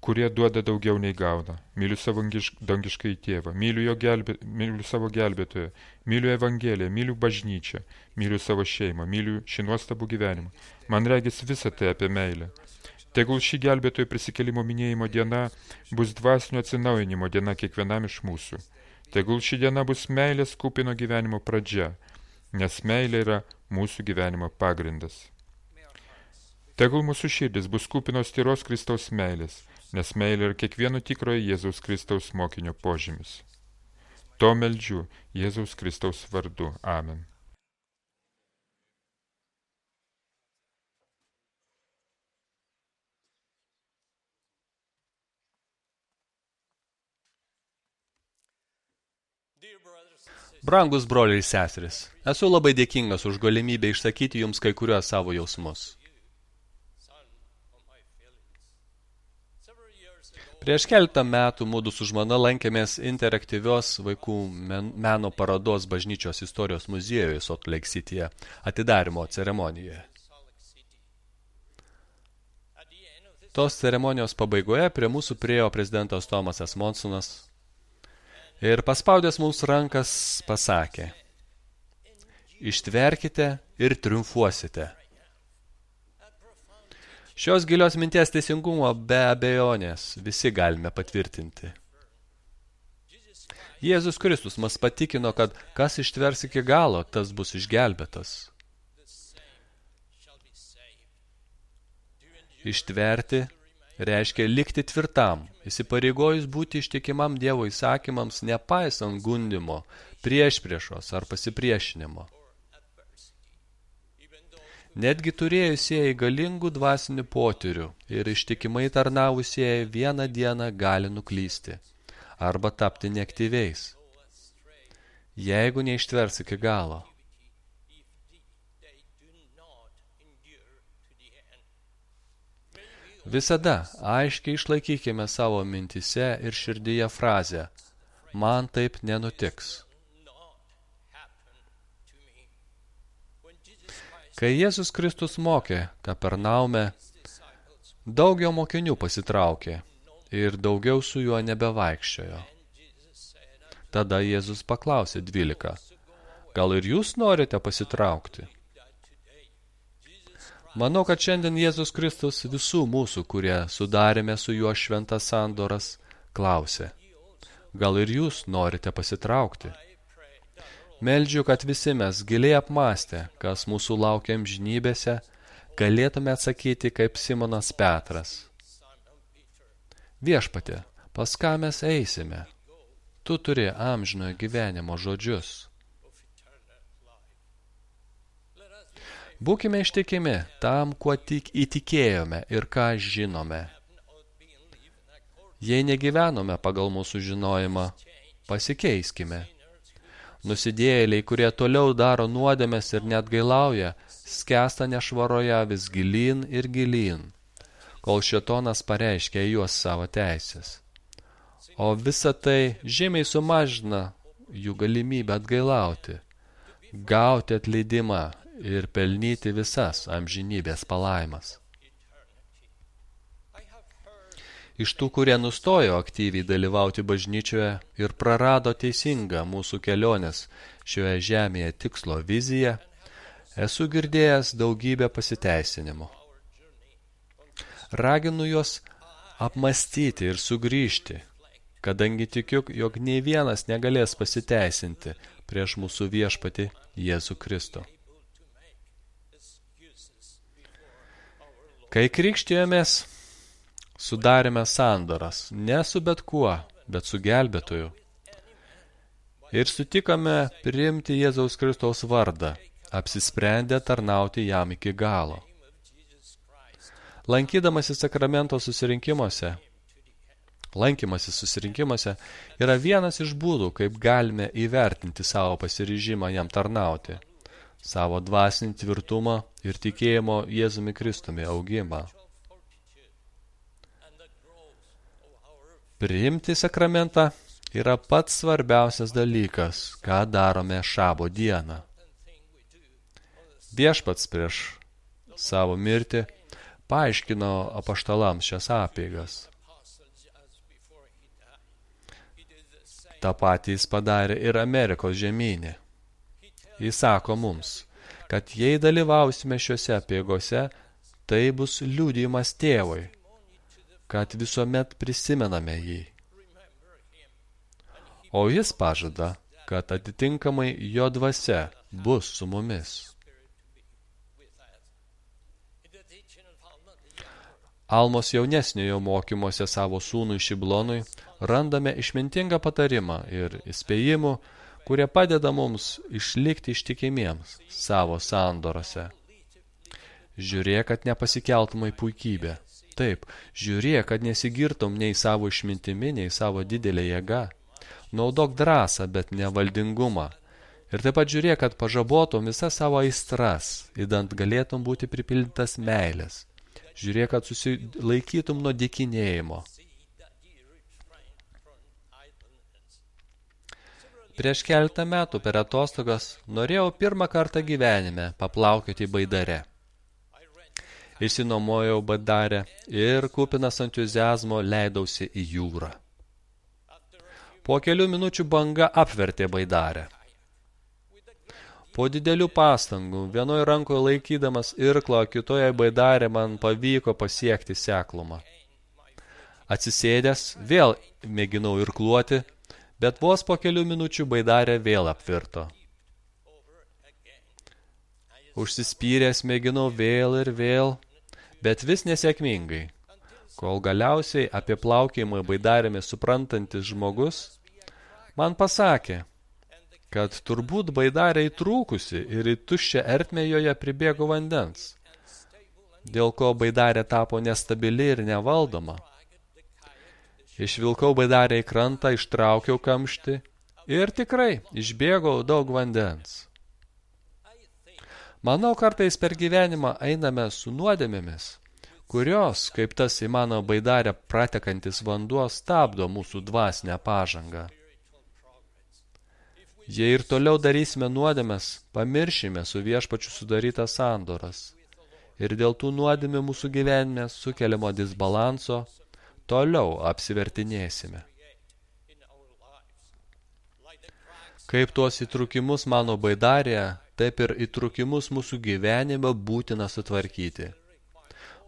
kurie duoda daugiau nei gauna. Myliu savo dangiškąjį tėvą, myliu savo gelbėtoją, myliu evangeliją, myliu bažnyčią, myliu savo šeimą, myliu šį nuostabų gyvenimą. Man regis visa tai apie meilę. Tegul šį gelbėtojo prisikėlimo minėjimo diena bus dvasinio atsinaujinimo diena kiekvienam iš mūsų. Tegul ši diena bus meilės kupino gyvenimo pradžia, nes meilė yra mūsų gyvenimo pagrindas. Tegul mūsų širdis bus kupinos tyros Kristaus meilės, nes meilė yra kiekvieno tikrojo Jėzaus Kristaus mokinio požymis. To meldžiu Jėzaus Kristaus vardu. Amen. Brangus broliai ir seseris, esu labai dėkingas už galimybę išsakyti jums kai kuriuos savo jausmus. Prieš keletą metų mudu su žmona lankėmės interaktyvios vaikų meno parodos bažnyčios istorijos muziejuje Salt Lake Cityje atidarymo ceremonijoje. Tos ceremonijos pabaigoje prie mūsų priėjo prezidentas Tomasas Monsonas ir paspaudęs mums rankas pasakė, ištverkite ir triumfuosite. Šios gilios minties teisingumo be abejonės visi galime patvirtinti. Jėzus Kristus mus patikino, kad kas ištvers iki galo, tas bus išgelbėtas. Ištverti reiškia likti tvirtam, įsipareigojus būti ištikimam Dievo įsakymams, nepaisant gundimo, priešpriešos ar pasipriešinimo. Netgi turėjusieji galingų dvasinių potyrių ir ištikimai tarnavusieji vieną dieną gali nuklysti arba tapti neaktyviais, jeigu neištvers iki galo. Visada aiškiai išlaikykime savo mintyse ir širdyje frazę "Man taip nenutiks". Kai Jėzus Kristus mokė Kapernaume, daug jo mokinių pasitraukė ir daugiau su juo nebevaikščiojo. Tada Jėzus paklausė 12, gal ir jūs norite pasitraukti? Manau, kad šiandien Jėzus Kristus visų mūsų, kurie sudarėme su juo šventas sandoras, klausė, gal ir jūs norite pasitraukti? Meldžiu, kad visi mes giliai apmąstę, kas mūsų laukia amžinybėse, galėtume atsakyti kaip Simonas Petras. Viešpatie, pas ką mes eisime? Tu turi amžinojo gyvenimo žodžius. Būkime ištikimi tam, kuo tik įtikėjome ir ką žinome. Jei negyvenome pagal mūsų žinojimą, pasikeiskime. Nusidėjėliai, kurie toliau daro nuodėmes ir net gailauja, skęsta nešvaroje vis gilyn ir gilyn, kol šėtonas pareiškia juos savo teisės. O visa tai žymiai sumažina jų galimybę atgailauti, gauti atleidimą ir pelnyti visas amžinybės palaimas. Iš tų, kurie nustojo aktyviai dalyvauti bažnyčioje ir prarado teisingą mūsų kelionės šioje žemėje tikslo viziją, esu girdėjęs daugybę pasiteisinimų. Raginu juos apmąstyti ir sugrįžti, kadangi tikiu, jog nei vienas negalės pasiteisinti prieš mūsų viešpatį Jėzų Kristų. Kai krikštijomės, sudarėme sandoras, ne su bet kuo, bet su gelbėtoju. Ir sutikome priimti Jėzaus Kristaus vardą, apsisprendę tarnauti jam iki galo. Lankymasis susirinkimuose yra vienas iš būdų, kaip galime įvertinti savo pasiryžimą jam tarnauti, savo dvasinį tvirtumą ir tikėjimo Jėzumi Kristumi augimą. Priimti sakramentą yra pats svarbiausias dalykas, ką darome šabo dieną. Viešpats prieš savo mirtį paaiškino apaštalams šias apeigas. Ta patį jis padarė ir Amerikos žemynė. Jis sako mums, kad jei dalyvausime šiuose apeigose, tai bus liudijimas tėvui, kad visuomet prisimename jį. O jis pažada, kad atitinkamai jo dvasia bus su mumis. Almos jaunesniojo mokymuose savo sūnui Šiblonui randame išmintingą patarimą ir įspėjimų, kurie padeda mums išlikti ištikimiems savo sandorose. Žiūrėk, kad nepasikeltum į puikybę. Taip, žiūrėk, kad nesigirtum nei savo išmintimi, nei savo didelė jėga. Naudok drąsą, bet ne valdingumą. Ir taip pat žiūrėk, kad pažabotum visas savo aistras, idant galėtum būti pripildytas meilės. Žiūrėk, kad susilaikytum nuo dykinėjimo. Prieš keletą metų per atostogas norėjau pirmą kartą gyvenime paplaukioti baidare. Išsinuomojau baidarę ir kupinas entuziazmo leidausi į jūrą. Po kelių minučių banga apvertė baidarę. Po didelių pastangų, vienoje rankoje laikydamas irklą, kitoje baidarė man pavyko pasiekti seklumą. Atsisėdęs, vėl mėginau irkluoti, bet vos po kelių minučių baidarė vėl apvirto. Užsispyręs mėginau vėl ir vėl, bet vis nesėkmingai, kol galiausiai apie plaukėjimą baidarėmis suprantantis žmogus man pasakė, kad turbūt baidarė įtrūkusi ir į tuščią ertmę joje pribėgo vandens, dėl ko baidarė tapo nestabili ir nevaldoma. Išvilkau baidarę į krantą, ištraukiau kamštį ir tikrai išbėgau daug vandens. Manau, kartais per gyvenimą einame su nuodėmėmis, kurios, kaip tas į mano baidarę pratekantis vanduo, stabdo mūsų dvasinę pažangą. Jei ir toliau darysime nuodėmes, pamiršime su viešpačiu sudarytas sandoras. Ir dėl tų nuodėmių mūsų gyvenime sukeliamo disbalanso toliau apsivertinėsime. Kaip tuos įtrūkimus mano baidarėje, taip ir įtrūkimus mūsų gyvenime būtina sutvarkyti.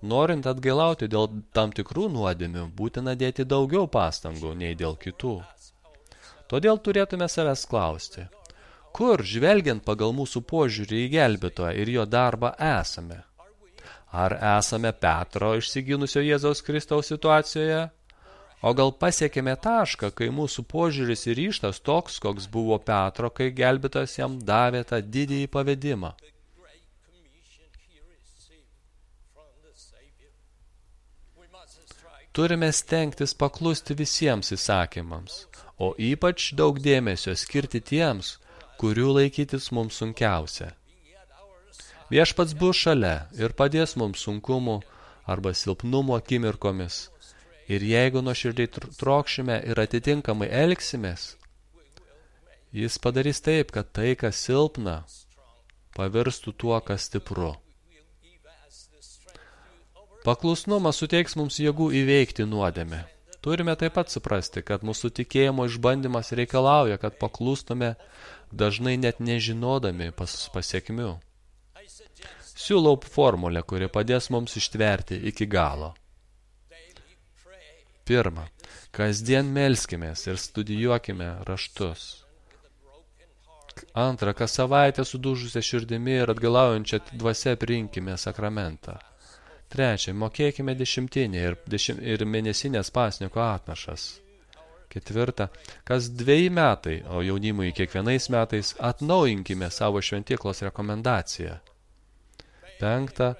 Norint atgailauti dėl tam tikrų nuodėmių, būtina dėti daugiau pastangų nei dėl kitų. Todėl turėtume savęs klausti, kur, žvelgiant pagal mūsų požiūrį į gelbėtoją ir jo darbą, esame? Ar esame Petro išsiginusio Jėzaus Kristaus situacijoje? O gal pasiekėme tašką, kai mūsų požiūris ir ryžtas toks, koks buvo Petro, kai gelbėtojas jam davė tą didįjį pavedimą? Turime stengtis paklusti visiems įsakymams, o ypač daug dėmesio skirti tiems, kurių laikytis mums sunkiausia. Viešpats bus šalia ir padės mums sunkumų arba silpnumo akimirkomis. Ir jeigu nuoširdžiai trokšime ir atitinkamai elgsimės, jis padarys taip, kad tai, kas silpna, pavirstų tuo, kas stipru. Paklusnumas suteiks mums jėgų įveikti nuodėmę. Turime taip pat suprasti, kad mūsų tikėjimo išbandymas reikalauja, kad paklustume dažnai net nežinodami pasiekmių. Siūlau formulę, kuri padės mums ištverti iki galo. Pirma, kasdien melskimės ir studijuokime raštus. Antra, kas savaitę sudužusią širdimi ir atgalaujančią dvasią priimkime sakramentą. Trečia, mokėkime dešimtinį ir mėnesinės pasniko atnašas. Ketvirta, kas 2 metai, o jaunimui kiekvienais metais atnaujinkime savo šventyklos rekomendaciją. 5.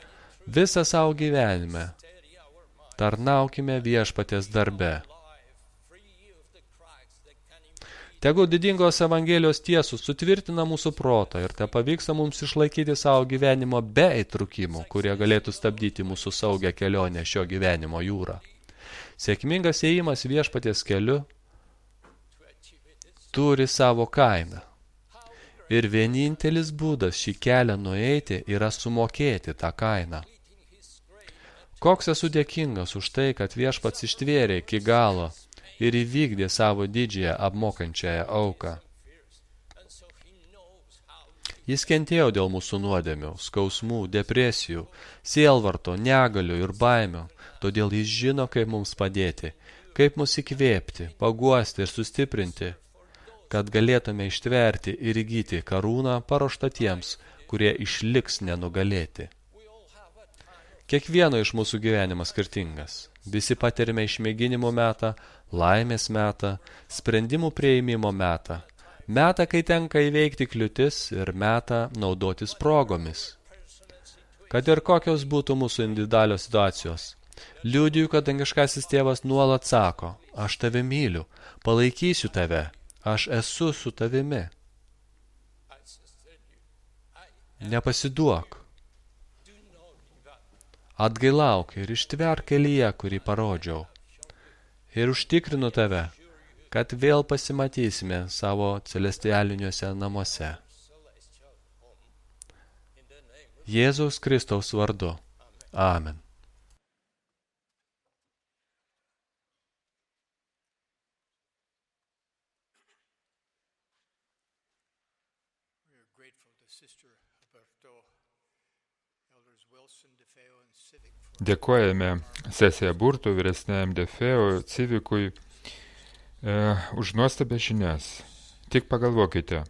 Visą savo gyvenime tarnaukime viešpaties darbe. Tegu didingos Evangelijos tiesos sutvirtina mūsų protą ir te pavyksta mums išlaikyti savo gyvenimo be įtrūkimų, kurie galėtų stabdyti mūsų saugią kelionę šio gyvenimo jūrą. Sėkmingas ėjimas viešpaties keliu turi savo kainą. Ir vienintelis būdas šį kelią nueiti yra sumokėti tą kainą. Koks esu dėkingas už tai, kad viešpats ištvėrė iki galo ir įvykdė savo didžiąją apmokančiąją auką. Jis kentėjo dėl mūsų nuodėmių, skausmų, depresijų, sielvarto, negalių ir baimių, todėl jis žino, kaip mums padėti, kaip mus įkvėpti, paguosti ir sustiprinti, kad galėtume ištverti ir įgyti karūną paruoštą tiems, kurie išliks nenugalėti. Kiekvieno iš mūsų gyvenimas skirtingas. Visi patirime išmėginimo metą, laimės metą, sprendimų prieimimo metą, metą, kai tenka įveikti kliūtis ir metą naudotis progomis. Kad ir kokios būtų mūsų individualios situacijos, liudiju, kad dangiškasis tėvas nuolat sako, aš tave myliu, palaikysiu tave, aš esu su tavimi. Nepasiduok. Atgailauk ir ištverk kelyje, kurį parodžiau. Ir užtikrinu tave, kad vėl pasimatysime savo celestialiniuose namuose. Jėzaus Kristaus vardu. Amen. Dėkojame sesija Burtų, vyresniajam Defeo, Civikui už nuostabę žinias. Tik pagalvokite,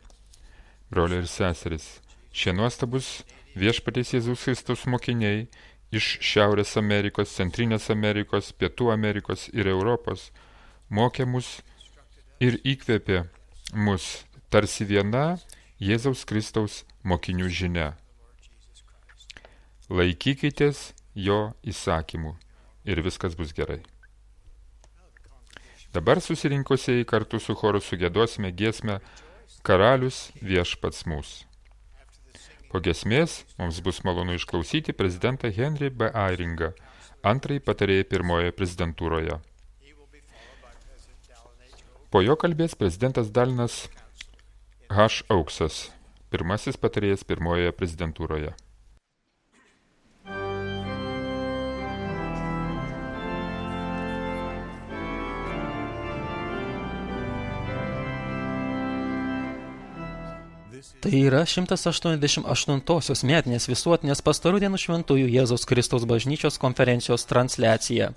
broliai ir seseris, šie nuostabus viešpaties Jėzaus Kristaus mokiniai iš Šiaurės Amerikos, Centrinės Amerikos, Pietų Amerikos ir Europos mokė mus ir įkvėpė mus tarsi viena Jėzaus Kristaus mokinių žinia. Laikykitės jo įsakymų ir viskas bus gerai. Dabar susirinkusieji kartu su choru sugėdosime giesmę Karalius viešpats mūsų. Po giesmės mums bus malonu išklausyti prezidentą Henry B. Airingą, antrąjį patarėją pirmojoje prezidentūroje. Po jo kalbės prezidentas Dalinas H. Auksas, pirmasis patarėjas pirmojoje prezidentūroje. Tai yra 188-osios metinės visuotinės pastarų dienų šventųjų Jėzaus Kristaus bažnyčios konferencijos transliacija.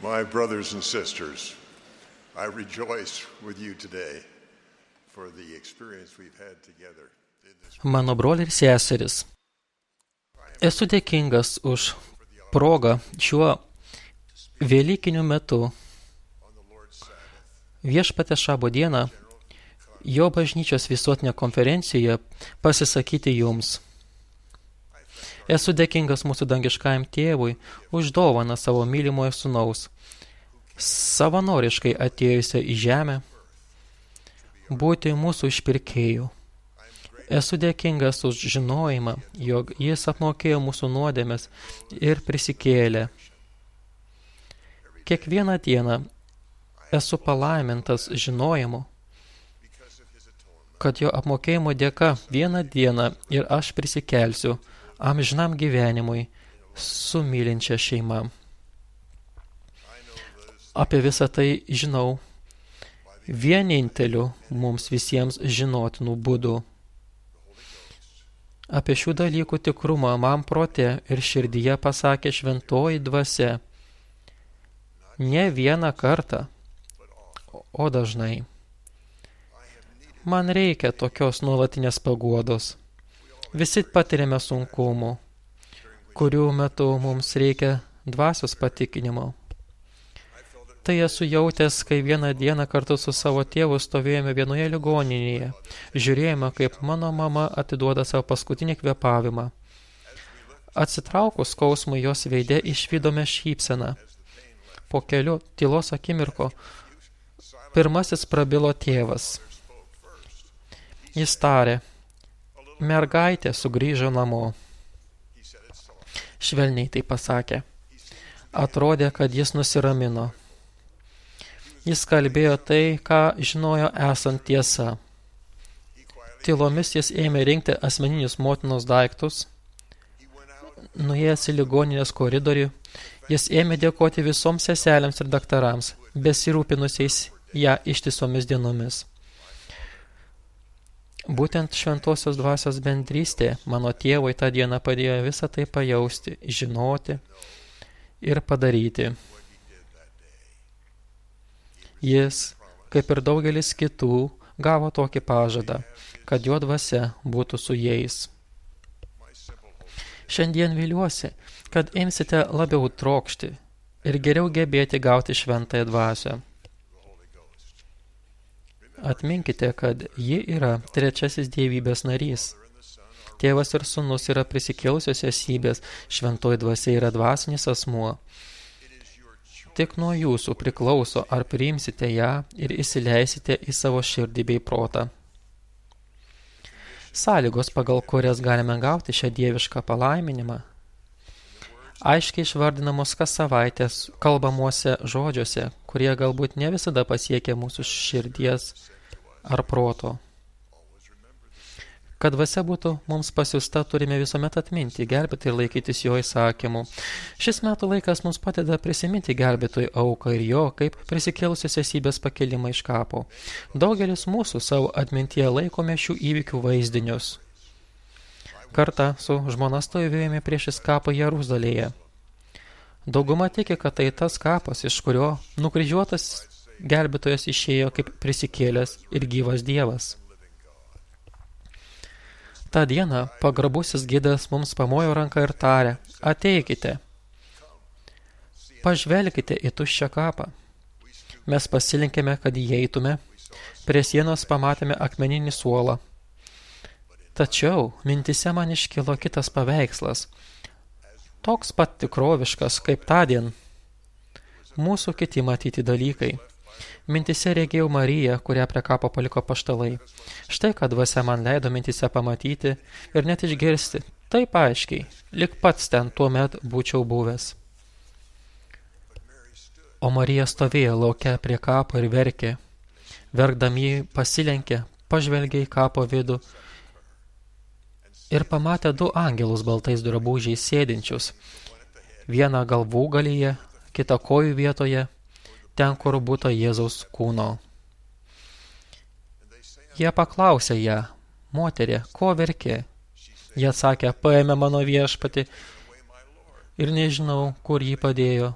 My brothers and sisters, I rejoice with you today for the experience we've had together. Mano broliai ir seserys, esu dėkingas už progą šiuo Velykiniu metu Viešpaties Šabo dieną jo bažnyčios visuotinė konferencijoje pasisakyti jums. Esu dėkingas mūsų dangiškajam tėvui už dovaną savo mylimojo sūnaus, savanoriškai atėjusią į žemę, būti mūsų išpirkėjų. Esu dėkingas už žinojimą, jog jis apmokėjo mūsų nuodėmes ir prisikėlė. Kiekvieną dieną esu palaimintas žinojimu, kad jo apmokėjimo dėka vieną dieną ir aš prisikelsiu amžinam gyvenimui su mylinčia šeima. Apie visą tai žinau vieninteliu mums visiems žinotinų būdų. Apie šių dalykų tikrumą man prote ir širdyje pasakė šventoji dvasia. Ne vieną kartą, o dažnai. Man reikia tokios nuolatinės paguodos. Visi patiriame sunkumų, kurių metu mums reikia dvasios patikinimo. Tai esu jautęs, kai vieną dieną kartu su savo tėvu stovėjome vienoje ligoninėje. Žiūrėjome, kaip mano mama atiduoda savo paskutinį kvėpavimą. Atsitraukus skausmui jos veide išvydome šypseną. Po kelių tylos akimirko pirmasis prabilo tėvas. Jis tarė, mergaitė sugrįžo namo. Švelniai tai pasakė. Atrodė, kad jis nusiramino. Jis kalbėjo tai, ką žinojo esant tiesa. Tylomis jis ėmė rinkti asmeninius motinos daiktus. Nuėjęs į ligoninės koridorių, jis ėmė dėkoti visoms seselėms ir daktarams, besirūpinusiais ją ištisomis dienomis. Būtent šventosios dvasios bendrystė mano tėvui tą dieną padėjo visą tai pajausti, žinoti ir padaryti. Jis, kaip ir daugelis kitų, gavo tokį pažadą, kad jo dvasia būtų su jais. Šiandien viliuosi, kad imsite labiau trokšti ir geriau gebėti gauti šventąją dvasią. Atminkite, kad ji yra trečiasis dievybės narys. Tėvas ir sūnus yra prisikėlusios esybės, šventoji dvasia yra dvasinis asmuo. Tik nuo jūsų priklauso, ar priimsite ją ir įsileisite į savo širdį bei protą. Sąlygos, pagal kurias galime gauti šią dievišką palaiminimą, aiškiai išvardinamos kas savaitės kalbamuose žodžiuose, kurie galbūt ne visada pasiekia mūsų širdies ar proto. Kad dvasia būtų mums pasiusta, turime visuomet atminti, gelbėti ir laikytis jo įsakymų. Šis metų laikas mums padeda prisiminti gelbėtojų auką ir jo, kaip prisikėlusios esybės pakelimą iš kapo. Daugelis mūsų savo atmintyje laikome šių įvykių vaizdinius. Kartą su žmona stovėjome priešais kapą Jeruzalėje. Dauguma tiki, kad tai tas kapas, iš kurio nukryžiuotas gelbėtojas išėjo kaip prisikėlęs ir gyvas Dievas. Ta diena pagrabusis gidas mums pamojo ranką ir tarė, ateikite, pažvelkite į tuščią kapą. Mes pasilinkėme, kad įeitume, prie sienos pamatėme akmeninį suolą. Tačiau mintise man iškilo kitas paveikslas, toks pat tikroviškas kaip tądien. Mūsų kiti matyti dalykai. Mintise regėjau Mariją, kurią prie kapo paliko apaštalai. Štai, kad dvasia man leido mintise pamatyti ir net išgirsti, taip aiškiai, lyg pats ten tuomet būčiau buvęs. O Marija stovėjo lauke prie kapo ir verkė. Verkdami pasilenkė, pažvelgė į kapo vidų ir pamatė du angelus baltais drabužiais sėdinčius. Vieną galvūgalyje, kitą kojų vietoje, ten, kur būta Jėzaus kūno. Jie paklausė ją, moterie, ko verki? Jie atsakė, paėmė mano viešpatį ir nežinau, kur jį padėjo.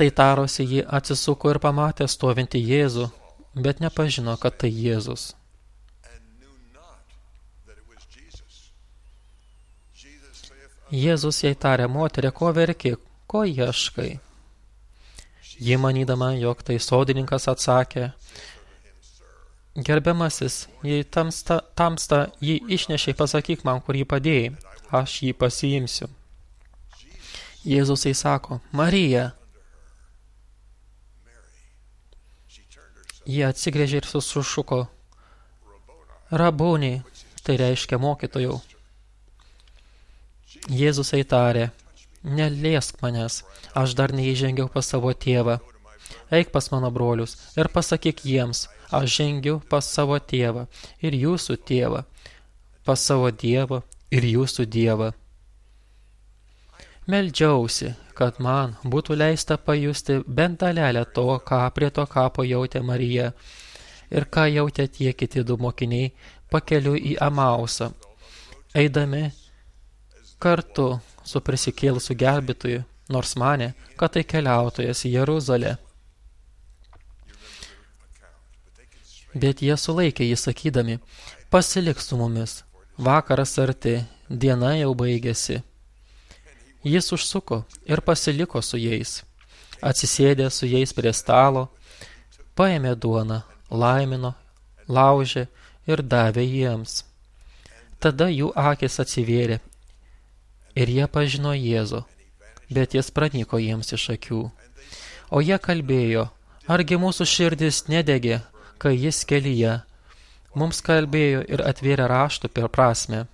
Tai tarosi, ji atsisuko ir pamatė stovintį Jėzų, bet nepažino, kad tai Jėzus. Jėzus jai tarė: moterie, ko verki, ko ieškai? Ji, manydama, jog tai sodininkas, atsakė: gerbiamasis, jei tamsta jį išnešiai, pasakyk man, kur jį padėjai, aš jį pasiimsiu. Jėzus jai sako: Marija. Jie atsigrėžė ir sušuko: Rabūni, tai reiškia mokytojau. Jėzus jai tarė: neliesk manęs, aš dar neįžengiau pas savo tėvą. Eik pas mano brolius ir pasakyk jiems: aš žengiu pas savo tėvą ir jūsų tėvą, pas savo Dievą ir jūsų Dievą. Meldžiausi, kad man būtų leista pajusti bent dalelę to, ką prie to kapo jautė Marija ir ką jautė tie kiti du mokiniai pakeliui į Amausą, eidami kartu su prisikėlusiu gelbėtoju, nors manė, kad tai keliautojas į Jeruzalę. Bet jie sulaikė jį sakydami: pasilik su mumis, vakaras arti, diena jau baigėsi. Jis užsuko ir pasiliko su jais. Atsisėdė su jais prie stalo, paėmė duoną, laimino, laužė ir davė jiems. Tada jų akys atsivėrė ir jie pažino Jėzų, bet jis pranyko jiems iš akių. O jie kalbėjo: argi mūsų širdis nedegė, kai jis kelyje mums kalbėjo ir atvėrė raštų per prasmę.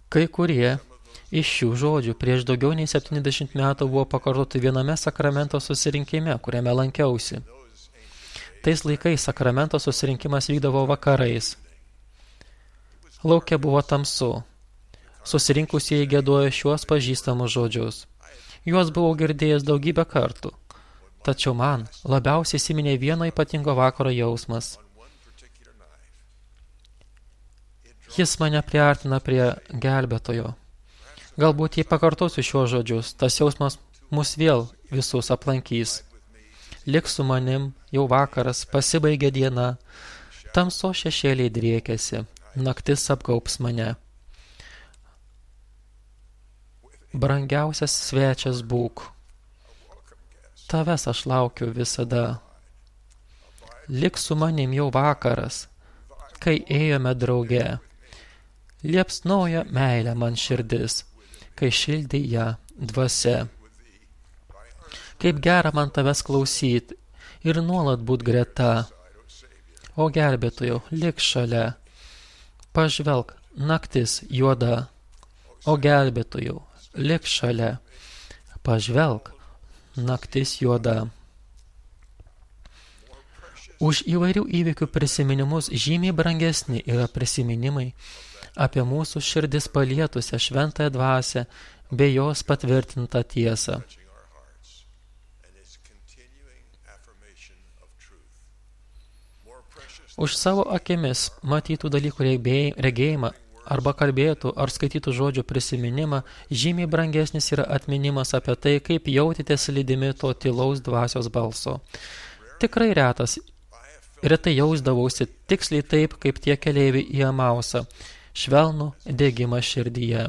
Kai kurie iš šių žodžių prieš daugiau nei 70 metų buvo pakartoti viename sakramento susirinkime, kuriame lankiausi. Tais laikais sakramento susirinkimas vykdavo vakarais. Lauke buvo tamsu. Susirinkusieji giedojo šiuos pažįstamus žodžius. Juos buvau girdėjęs daugybę kartų. Tačiau man labiausiai įsiminė vieno ypatingo vakaro jausmas. Jis mane priartina prie gelbėtojo. Galbūt jei pakartosiu šiuos žodžius, tas jausmas mus vėl visus aplankys. Lik su manim, jau vakaras, pasibaigė diena, tamso šešėliai driekiasi, naktis apgaups mane. Brangiausias svečias būk. Tavęs aš laukiu visada. Lik su manim, jau vakaras, kai ėjome drauge. Liepsnojo meilė man širdis, kai šildė ją dvasia. Kaip gera man tavęs klausyt ir nuolat būt greta. O gelbėtojau, lik šalia. Pažvelk, naktis juoda. O gelbėtojau, lik šalia. Pažvelk, naktis juoda. Už įvairių įvykių prisiminimus žymiai brangesni yra prisiminimai apie mūsų širdis palietusią šventąją dvasią bei jos patvirtintą tiesą. Už savo akimis matytų dalykų regėjimą arba kalbėtų ar skaitytų žodžių prisiminimą žymiai brangesnis yra atminimas apie tai, kaip jautėtės lydimi to tylaus dvasios balso. Tikrai retai jausdavausi tiksliai taip, kaip tie keleiviai į Amausą, švelnų degimą širdyje.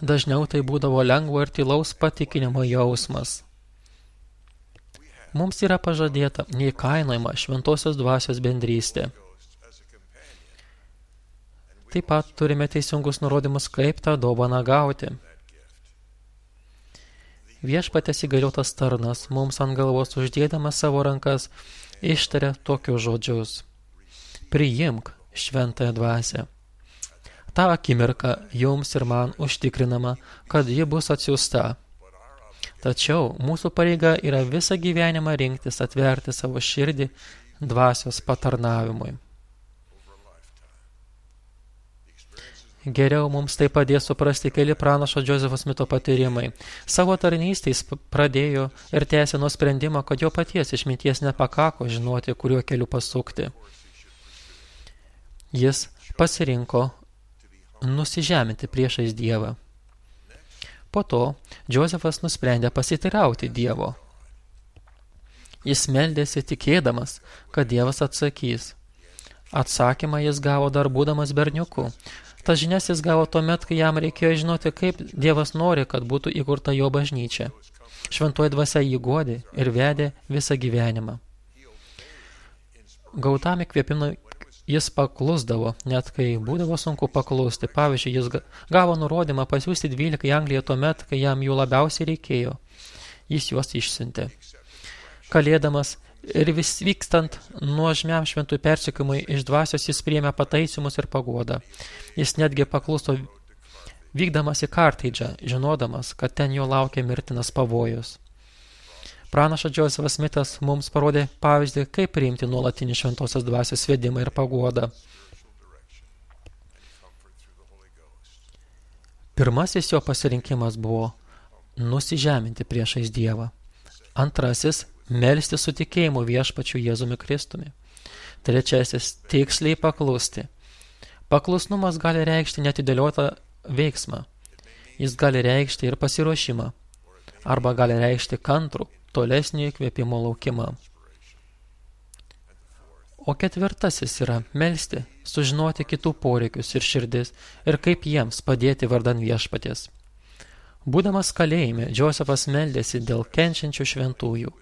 Dažniau tai būdavo lengvo ir tylaus patikinimo jausmas. Mums yra pažadėta neįkainojama šventosios dvasios bendrystė. Taip pat turime teisingus nurodymus, kaip tą dovaną gauti. Viešpaties įgaliotas tarnas mums ant galvos uždėdamas savo rankas ištaria tokius žodžius: priimk šventąją dvasią. Ta akimirka jums ir man užtikrinama, kad ji bus atsiųsta. Tačiau mūsų pareiga yra visą gyvenimą rinktis atverti savo širdį dvasios patarnavimui. Geriau mums tai padės suprasti keli pranašo Džozefo Smito patyrimai. Savo tarnystės pradėjo ir tęsė nuo sprendimo, kad jo paties išminties nepakako žinoti, kuriuo keliu pasukti. Jis pasirinko nusižeminti priešais Dievą. Po to Džozefas nusprendė pasiteirauti Dievo. Jis meldėsi tikėdamas, kad Dievas atsakys. Atsakymą jis gavo dar būdamas berniuku. Tas žinias jis gavo tuomet, kai jam reikėjo žinoti, kaip Dievas nori, kad būtų įkurta jo bažnyčia. Šventoji dvasia jį guodė ir vedė visą gyvenimą. Gautam įkvėpimui jis paklusdavo, net kai būdavo sunku paklusti. Pavyzdžiui, jis gavo nurodymą pasiųsti 12 į Angliją tuomet, kai jam jų labiausiai reikėjo. Jis juos išsiuntė. Kalėdamas ir vis vykstant nuožmiam šventųjų persekiojimui iš dvasios jis priėmė pataisymus ir paguodą. Jis netgi pakluso vykdamas į Kartaidžą, žinodamas, kad ten jo laukia mirtinas pavojus. Pranašas Džozefas Smitas mums parodė pavyzdį, kaip priimti nuolatinį šventosios dvasios vedimą ir paguodą. Pirmasis jo pasirinkimas buvo nusižeminti priešais Dievą. Antrasis – melsti su tikėjimu viešpačiu Jėzumi Kristumi. Trečiasis – tiksliai paklusti. Paklusnumas gali reikšti neatidėliotą veiksmą. Jis gali reikšti ir pasiruošimą. Arba gali reikšti kantrų, tolesnį įkvėpimo laukimą. O ketvirtasis yra melsti, sužinoti kitų poreikius ir širdis ir kaip jiems padėti vardan viešpaties. Būdamas kalėjime, Džozefas meldėsi dėl kenčiančių šventųjų.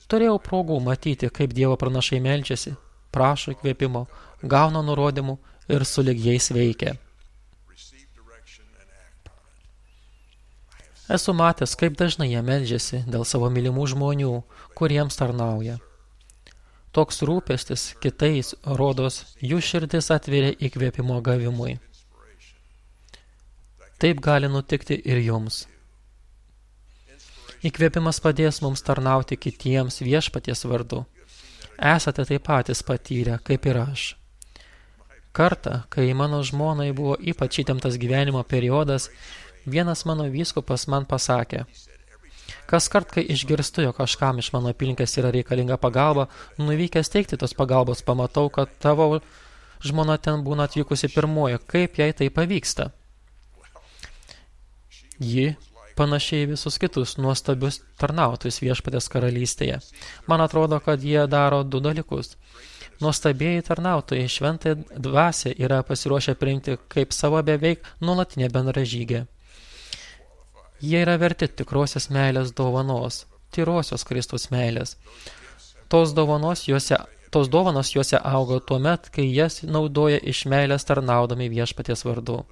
Turėjau progų matyti, kaip Dievo pranašai meldžiasi, prašo įkvėpimo, gauna nurodymų ir sulig jais veikia. Esu matęs, kaip dažnai jie meldžiasi dėl savo mylimų žmonių, kuriems tarnauja. Toks rūpestis kitais rodos jų širdis atveria įkvėpimo gavimui. Taip gali nutikti ir jums. Įkvėpimas padės mums tarnauti kitiems viešpaties vardu. Esate taip patys patyrę, kaip ir aš. Kartą, kai mano žmonai buvo ypač įtemptas gyvenimo periodas, vienas mano vyskupas man pasakė: kaskart, kai išgirstu, jog kažkam iš mano apylinkės yra reikalinga pagalba, nuvykęs teikti tos pagalbos, pamatau, kad tavo žmona ten būna atvykusi pirmoji. Kaip jai tai pavyksta? Ji panašiai visus kitus nuostabius tarnautojus viešpatės karalystėje. Man atrodo, kad jie daro du dalykus. Nuostabieji tarnautojai šventąją dvasią yra pasiruošę priimti kaip savo beveik nuolatinę bendražygę. Jie yra verti tikrosios meilės dovanos, tyrosios Kristaus meilės. Tos dovanos juose auga tuomet, kai jas naudoja iš meilės tarnaudami viešpaties vardu.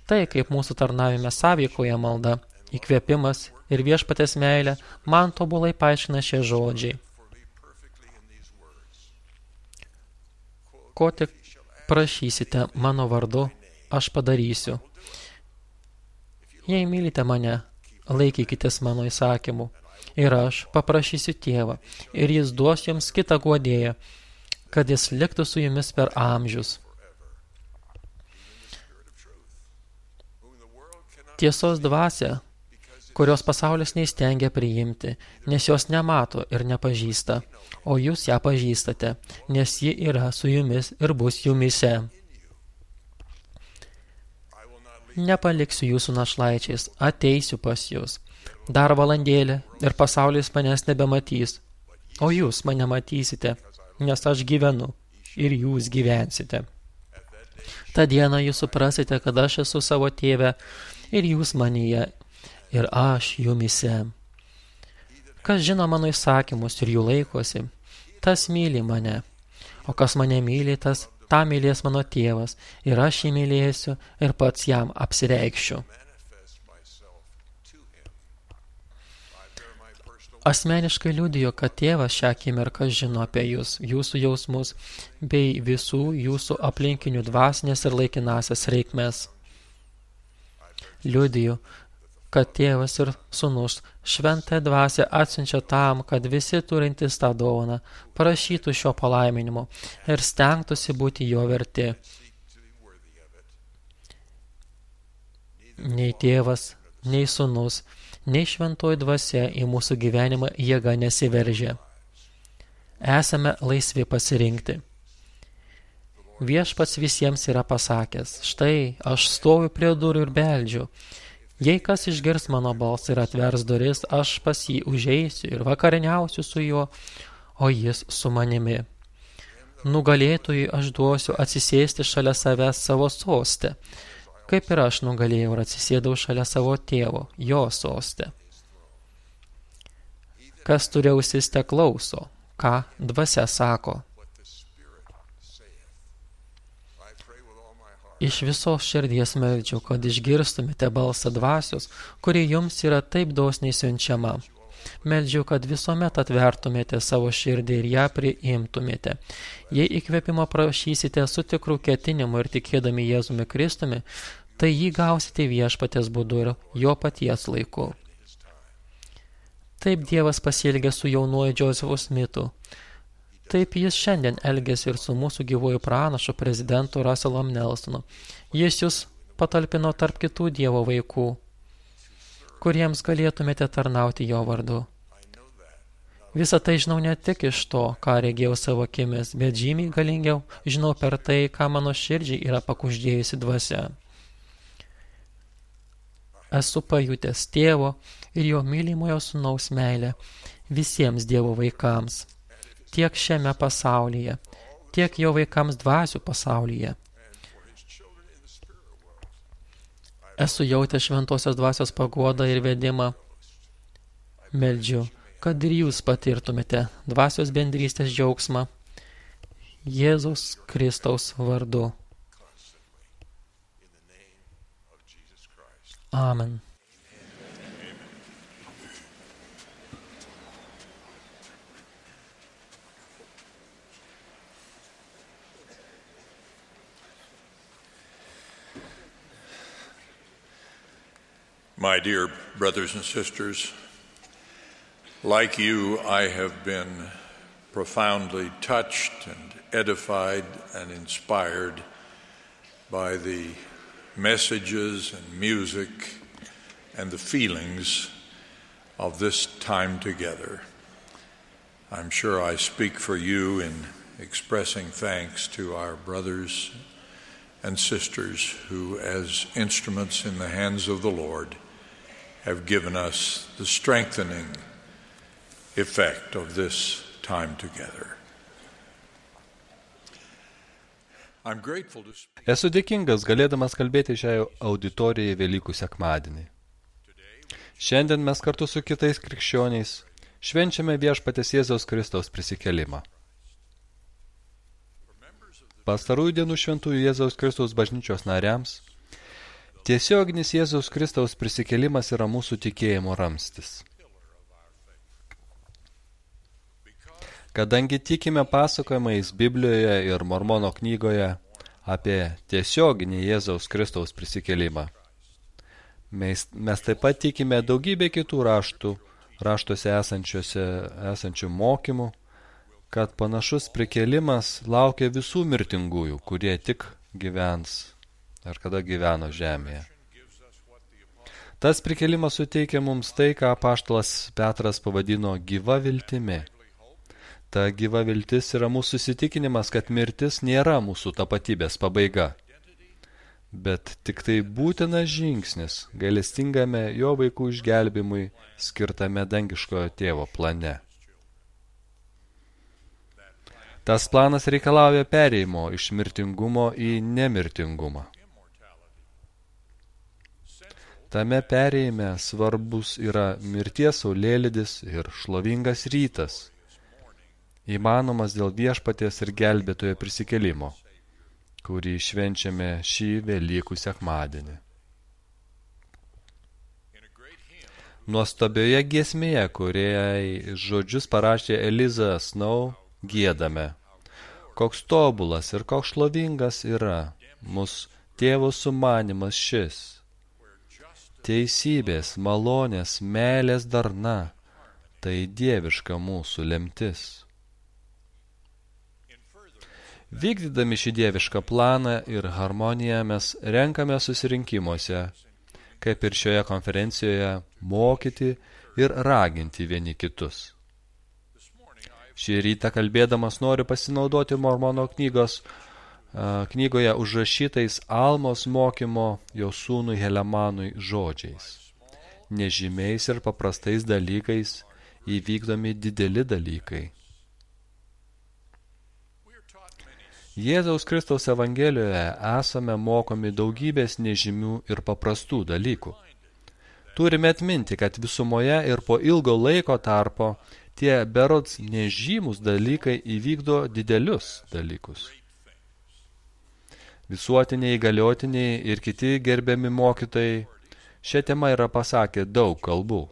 Tai, kaip mūsų tarnavime sąveikoje malda, įkvėpimas ir viešpatės meilė, man tobulai paaiškina šie žodžiai. Ko tik prašysite mano vardu, aš padarysiu. Jei mylite mane, laikykitės mano įsakymų. Ir aš paprašysiu Tėvą, ir jis duos jums kitą guodėją, kad jis liktų su jumis per amžius. Tiesos dvasia, kurios pasaulis neįstengia priimti, nes jos nemato ir nepažįsta, o jūs ją pažįstate, nes ji yra su jumis ir bus jumise. Nepaliksiu jūsų našlaičiais, ateisiu pas jūs. Dar valandėlę ir pasaulis manęs nebematys, o jūs mane matysite, nes aš gyvenu ir jūs gyvensite. Ta diena jūs suprasite, kad aš esu savo Tėve ir jūs manyje, ir aš jumise. Kas žino mano įsakymus ir jų laikosi, tas myli mane, o kas mane myli, tas tą mylės mano Tėvas, ir aš jį mylėsiu ir pats jam apsireikšiu. Asmeniškai liudijo, kad Tėvas šią akimirką žino apie jūs, jūsų jausmus, bei visų jūsų aplinkinių dvasinės ir laikinasias reikmes. Liudijo, kad Tėvas ir Sūnus šventąją dvasią atsiunčia tam, kad visi turintys tą dovaną prašytų šio palaiminimo ir stengtųsi būti jo verti. Nei Tėvas, nei Sūnus, nei šventoji dvasia į mūsų gyvenimą jėga nesiveržia. Esame laisvi pasirinkti. Viešpats visiems yra pasakęs, štai, aš stoviu prie durų ir beldžiu. Jei kas išgirs mano balsą ir atvers duris, aš pas jį užeisiu ir vakarieniausiu su juo, o jis su manimi. Nugalėtojui aš duosiu atsisėsti šalia savęs savo soste, kaip ir aš nugalėjau ir atsisėdau šalia savo tėvo, jo soste. Kas turi ausis, te klauso, ką dvasia sako. Iš visos širdies meldžiu, kad išgirstumėte balsą dvasios, kuri jums yra taip dosniai siunčiama. Meldžiu, kad visuomet atvertumėte savo širdį ir ją priimtumėte. Jei įkvėpimo prašysite su tikru ketinimu ir tikėdami Jėzumi Kristumi, tai jį gausite viešpaties būdu ir jo paties laiku. Taip Dievas pasielgė su jaunuoju Josefu Smithu. Taip jis šiandien elgėsi ir su mūsų gyvuoju pranašu prezidentu Russell Nelsonu. Jis jūs patalpino tarp kitų Dievo vaikų, kuriems galėtumėte tarnauti jo vardu. Visą tai žinau ne tik iš to, ką regėjau savo akimis, bet žymiai galingiau žinau per tai, ką mano širdžiai yra pakuždėjusi dvasia. Esu pajutęs tėvo ir jo mylimojo sūnaus meilę visiems Dievo vaikams, tiek šiame pasaulyje, tiek jo vaikams dvasių pasaulyje. Esu jautęs šventosios dvasios paguodą ir vedimą. Meldžiu, kad ir jūs patirtumėte dvasios bendrystės džiaugsmą Jėzaus Kristaus vardu. Amen. My dear brothers and sisters, like you, I have been profoundly touched and edified and inspired by the messages and music and the feelings of this time together. I'm sure I speak for you in expressing thanks to our brothers and sisters who, as instruments in the hands of the Lord, have given us the strengthening effect of this time together. I'm grateful to speak. Esu dėkingas galėdamas kalbėti šiai auditorijai Velykų sekmadienį. Šiandien mes kartu su kitais krikščioniais švenčiame viešpaties Jėzaus Kristaus prisikėlimą. Pastarųjų dienų šventųjų Jėzaus Kristaus bažnyčios nariams tiesioginis Jėzaus Kristaus prisikėlimas yra mūsų tikėjimo ramstis. Kadangi tikime pasakojimais Biblijoje ir Mormono knygoje apie tiesioginį Jėzaus Kristaus prisikėlimą, mes taip pat tikime daugybę kitų raštuose esančių mokymų, kad panašus prikėlimas laukia visų mirtingųjų, kurie tik gyvens ar kada gyveno žemėje. Tas prikėlimas suteikia mums tai, ką apaštalas Petras pavadino gyva viltimi. Ta gyva viltis yra mūsų įsitikinimas, kad mirtis nėra mūsų tapatybės pabaiga, bet tik tai būtinas žingsnis gailestingame jo vaikų išgelbimui skirtame dangiškojo tėvo plane. Tas planas reikalauja perėjimo iš mirtingumo į nemirtingumą. Tame perėjime svarbus yra mirties saulėlydis ir šlovingas rytas, įmanomas dėl viešpaties ir gelbėtojo prisikėlimo, kurį švenčiame šį Velykų sekmadienį. Nuostabioje giesmėje, kuriai žodžius parašė Eliza Snow, giedame: koks tobulas ir koks šlovingas yra mūsų tėvo sumanymas šis. Teisybės, malonės, meilės darna, tai dieviška mūsų lemtis. Vykdydami šį dievišką planą ir harmoniją mes renkame susirinkimuose, kaip ir šioje konferencijoje, mokyti ir raginti vieni kitus. Šį rytą kalbėdamas noriu pasinaudoti Mormono knygos knygoje užrašytais Almos mokymo jo sūnui Helemanui žodžiais. Nežymiais ir paprastais dalykais įvykdomi dideli dalykai. Jėzaus Kristaus Evangelijoje esame mokomi daugybės nežymių ir paprastų dalykų. Turime atminti, kad visumoje ir po ilgo laiko tarpo tie berods nežymus dalykai įvykdo didelius dalykus. Visuotiniai, įgaliotiniai ir kiti gerbiami mokytojai šią temą yra pasakę daug kalbų.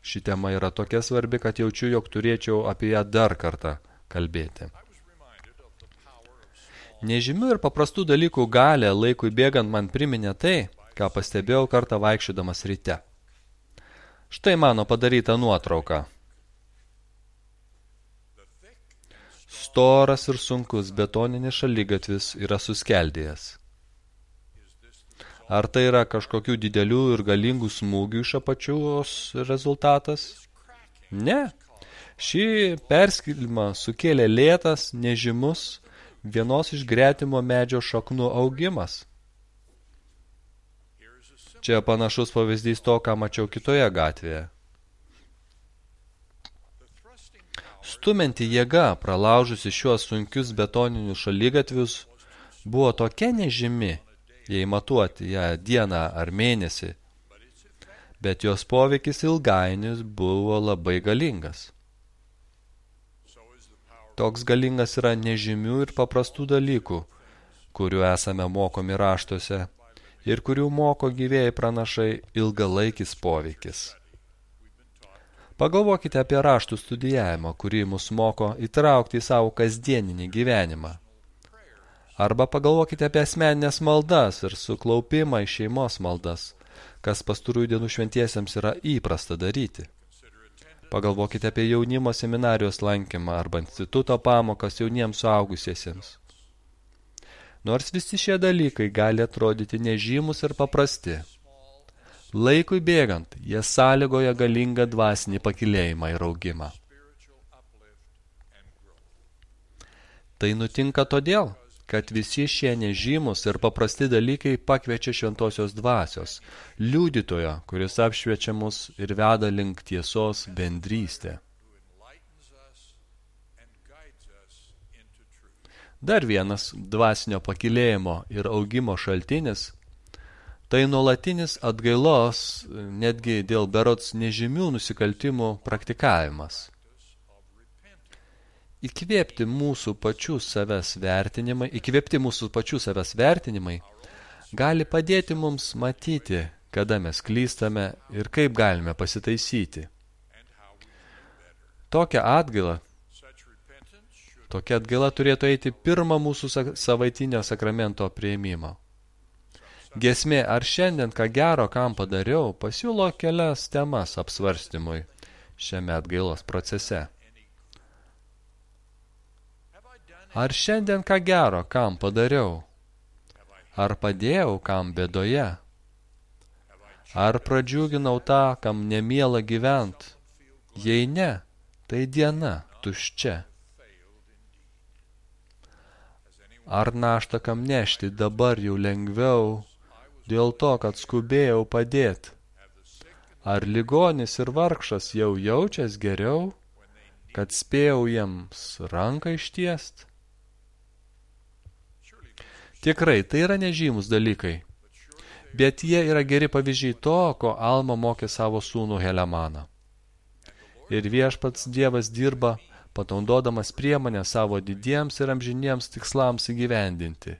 Ši tema yra tokia svarbi, kad jaučiu, jog turėčiau apie ją dar kartą kalbėti. Nežymių ir paprastų dalykų galę laikui bėgant man priminė tai, ką pastebėjau kartą vaikščiodamas ryte. Štai mano padaryta nuotrauka. Storas ir sunkus betoninis šaligatvis yra suskeldėjęs. Ar tai yra kažkokių didelių ir galingų smūgių iš apačios rezultatas? Ne. Šį perskilimą sukėlė lėtas, nežymus, vienos iš gretimo medžio šaknų augimas. Čia panašus pavyzdys to, ką mačiau kitoje gatvėje. Stumianti jėga, pralaužusi šiuos sunkius betoninius šaligatvius, buvo tokia nežymi, jei matuoti ją dieną ar mėnesį, bet jos poveikis ilgainis buvo labai galingas. Toks galingas yra nežymių ir paprastų dalykų, kurių esame mokomi raštuose ir kurių moko gyvėjai pranašai ilgalaikis poveikis. Pagalvokite apie raštų studijavimą, kurį mus moko įtraukti į savo kasdieninį gyvenimą. Arba pagalvokite apie asmeninės maldas ir suklaupimą į šeimos maldas, kas pastarųjų dienų šventiesiems yra įprasta daryti. Pagalvokite apie jaunimo seminarijos lankymą arba instituto pamokas jauniems suaugusiesiems. Nors visi šie dalykai gali atrodyti nežymus ir paprasti, laikui bėgant, jie sąlygoja galingą dvasinį pakilėjimą ir augimą. Tai nutinka todėl, kad visi šie nežymus ir paprasti dalykai pakviečia šventosios dvasios, liudytojo, kuris apšviečia mus ir veda link tiesos bendrystę. Dar vienas dvasinio pakilėjimo ir augimo šaltinis tai nuolatinis atgailos, netgi dėl berods nežymių nusikaltimų praktikavimas. Įkvėpti mūsų pačių savęs vertinimai gali padėti mums matyti, kada mes klystame ir kaip galime pasitaisyti. Tokia atgaila turėtų eiti pirmą mūsų savaitinio sakramento priėmimo. Giesmė Ar šiandien ką gero, kam padariau, pasiūlo kelias temas apsvarstymui šiame atgailos procese. Ar šiandien ką gero, kam padariau? Ar padėjau, kam bėdoje? Ar pradžiuginau tą, kam nemiela gyvent? Jei ne, tai diena tuščia. Ar naštą kam nešti dabar jau lengviau, dėl to, kad skubėjau padėti? Ar ligonis ir vargšas jau jaučias geriau, kad spėjau jiems ranką ištiest? Tikrai, tai yra nežymus dalykai, bet jie yra geri pavyzdžiai to, ko Alma mokė savo sūnų Helemaną. Ir viešpats Dievas dirba, panaudodamas priemonę savo didiems ir amžiniems tikslams įgyvendinti.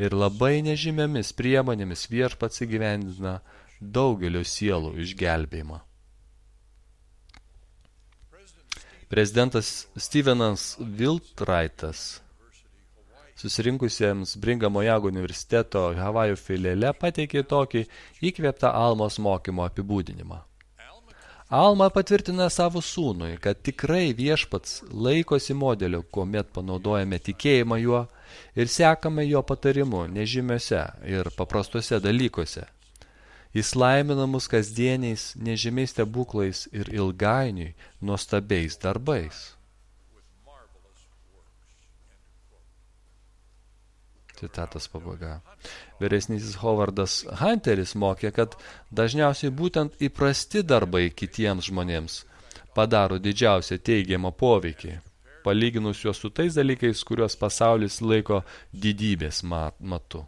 Ir labai nežymiomis priemonėmis viešpats įgyvendina daugelio sielų išgelbėjimą. Prezidentas Stevenas Wiltraitas susirinkusiems Bringamo Young universiteto Havajų filiale pateikė tokį įkvėptą Almos mokymo apibūdinimą. Alma patvirtina savo sūnui, kad tikrai viešpats laikosi modeliu, kuomet panaudojame tikėjimą juo ir sekame jo patarimu nežymiuose ir paprastuose dalykuose. Jis laimina mus kasdieniais, nežymiais stebuklais ir ilgainiui nuostabiais darbais. Citatos pabaiga. Vyresnysis Howardas Hunteris mokė, kad dažniausiai būtent įprasti darbai kitiems žmonėms padaro didžiausią teigiamą poveikį, palyginus juos su tais dalykais, kuriuos pasaulis laiko didybės matu.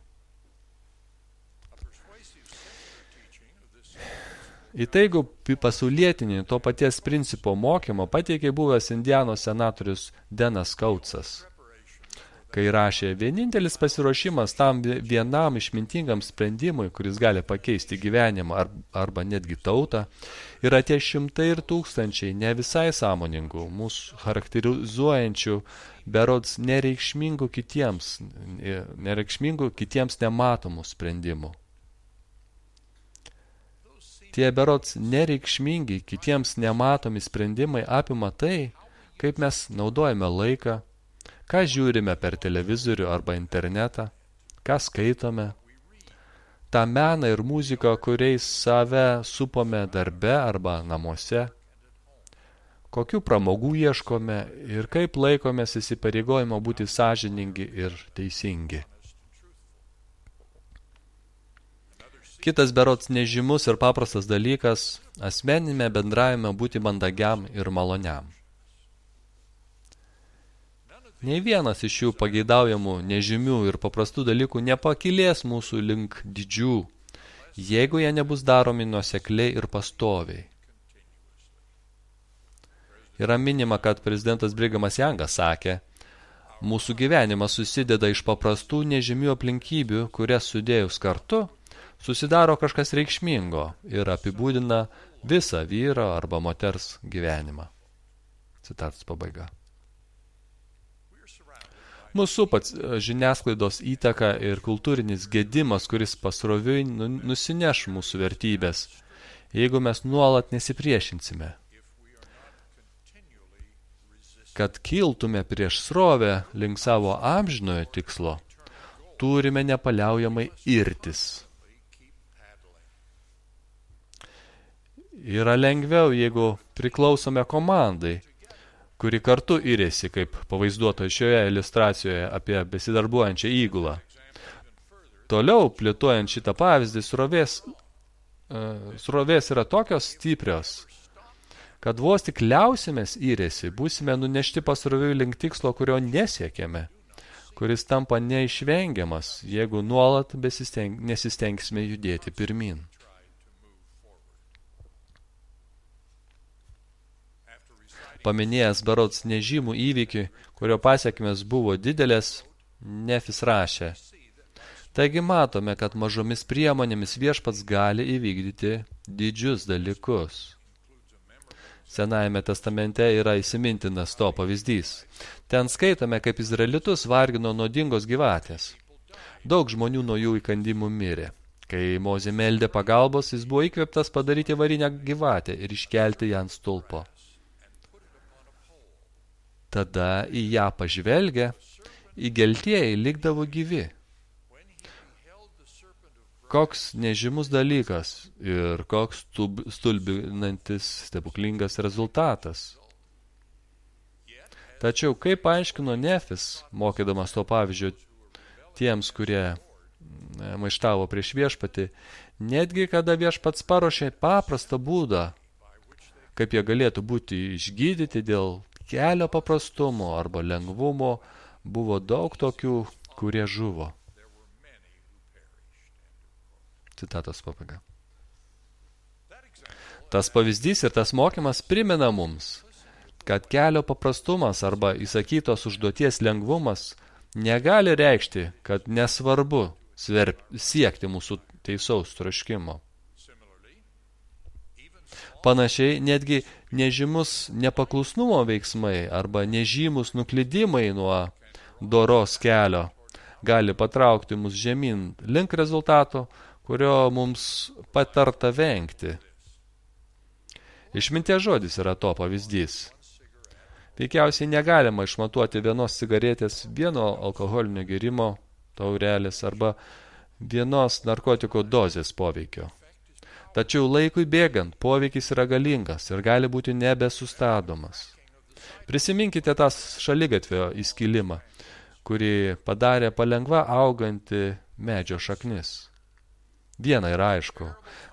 Įtaigų pasaulietinį to paties principo mokymo pateikė buvęs Indianos senatorius Denas Kautsas, kai rašė, vienintelis pasiruošimas tam vienam išmintingam sprendimui, kuris gali pakeisti gyvenimą arba netgi tautą, yra tie šimtai ir tūkstančiai ne visai sąmoningų, mūsų charakterizuojančių, berods nereikšmingų kitiems nematomų sprendimų. Tie berods nereikšmingi kitiems nematomi sprendimai apima tai, kaip mes naudojame laiką, ką žiūrime per televizorių arba internetą, ką skaitome, tą meną ir muziką, kuriais save supome darbe arba namuose, kokių pramogų ieškome ir kaip laikomės įsipareigojimo būti sąžiningi ir teisingi. Kitas berods nežymus ir paprastas dalykas – asmeninėme bendravime būti mandagiam ir maloniam. Nei vienas iš šių pageidaujamų, nežymių ir paprastų dalykų nepakilės mūsų link didžių, jeigu jie nebus daromi nuosekliai ir pastoviai. Yra minima, kad prezidentas Brigamas Jangas sakė, mūsų gyvenimas susideda iš paprastų nežymių aplinkybių, kurias sudėjus kartu, susidaro kažkas reikšmingo ir apibūdina visą vyro arba moters gyvenimą. Citatos pabaiga. Mūsų pats žiniasklaidos įtaka ir kultūrinis gedimas, kuris pasroviui nusineš mūsų vertybės, jeigu mes nuolat nesipriešinsime. Kad kiltume prieš srovę link savo amžinojo tikslo, turime nepaliaujamai irtis. Yra lengviau, jeigu priklausome komandai, kuri kartu irėsi, kaip pavaizduota šioje iliustracijoje apie besidarbuojančią įgulą. Toliau, plėtojant šitą pavyzdį, srovės yra tokios stiprios, kad vos tik liausimės irėsi, būsime nunešti pasroviui link tikslo, kurio nesiekėme, kuris tampa neišvengiamas, jeigu nuolat nesistengsime judėti pirmin. Paminėjęs berods nežymų įvykį, kurio pasiekmės buvo didelės, Nefis rašė. Taigi matome, kad mažomis priemonėmis viešpats gali įvykdyti didžius dalykus. Senajame testamente yra įsimintinas to pavyzdys. Ten skaitome, kaip izraelitus vargino nuodingos gyvatės. Daug žmonių nuo jų įkandimų mirė. Kai Mozė meldė pagalbos, jis buvo įkvėptas padaryti varinę gyvatę ir iškelti ją ant stulpo. Tada į ją pažvelgę, įgeltieji likdavo gyvi. Koks nežymus dalykas ir koks stulbinantis stebuklingas rezultatas. Tačiau, kaip paaiškino Nefis, mokydamas to pavyzdžio tiems, kurie maištavo prieš viešpatį, netgi kada viešpats paruošė paprastą būdą, kaip jie galėtų būti išgydyti dėl kelio paprastumo arba lengvumo, buvo daug tokių, kurie žuvo. Citatos pabaiga. Tas pavyzdys ir tas mokymas primena mums, kad kelio paprastumas arba įsakytos užduoties lengvumas negali reikšti, kad nesvarbu siekti mūsų teisaus troškimo. Panašiai, netgi nežymus nepaklusnumo veiksmai arba nežymus nuklydimai nuo doros kelio gali patraukti mus žemyn link rezultato, kurio mums patarta vengti. Išminties žodis yra to pavyzdys. Veikiausiai negalima išmatuoti vienos cigaretės, vieno alkoholinio gėrimo taurelės arba vienos narkotiko dozės poveikio. Tačiau laikui bėgant poveikis yra galingas ir gali būti nebesustadomas. Prisiminkite tą šaligatvio įskilimą, kuri padarė palengva auganti medžio šaknis. Viena yra aišku,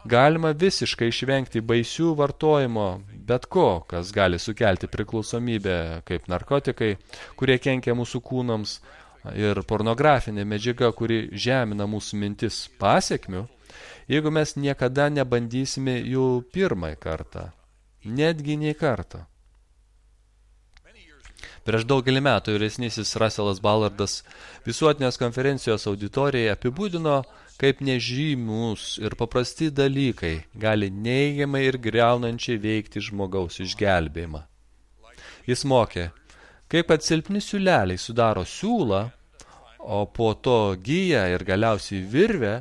galima visiškai išvengti baisių vartojimo bet ko, kas gali sukelti priklausomybę, kaip narkotikai, kurie kenkia mūsų kūnams, ir pornografinė medžiaga, kuri žemina mūsų mintis pasekmių, jeigu mes niekada nebandysime jų pirmąjį kartą, netgi nei kartą. Prieš daugelį metų vyresnysis Russellas Ballardas visuotinės konferencijos auditorijai apibūdino, kaip nežymus ir paprasti dalykai gali neigiamai ir griaunančiai veikti žmogaus išgelbėjimą. Jis mokė, kaip kad silpni siūleliai sudaro siūlą, o po to giją ir galiausiai virvę,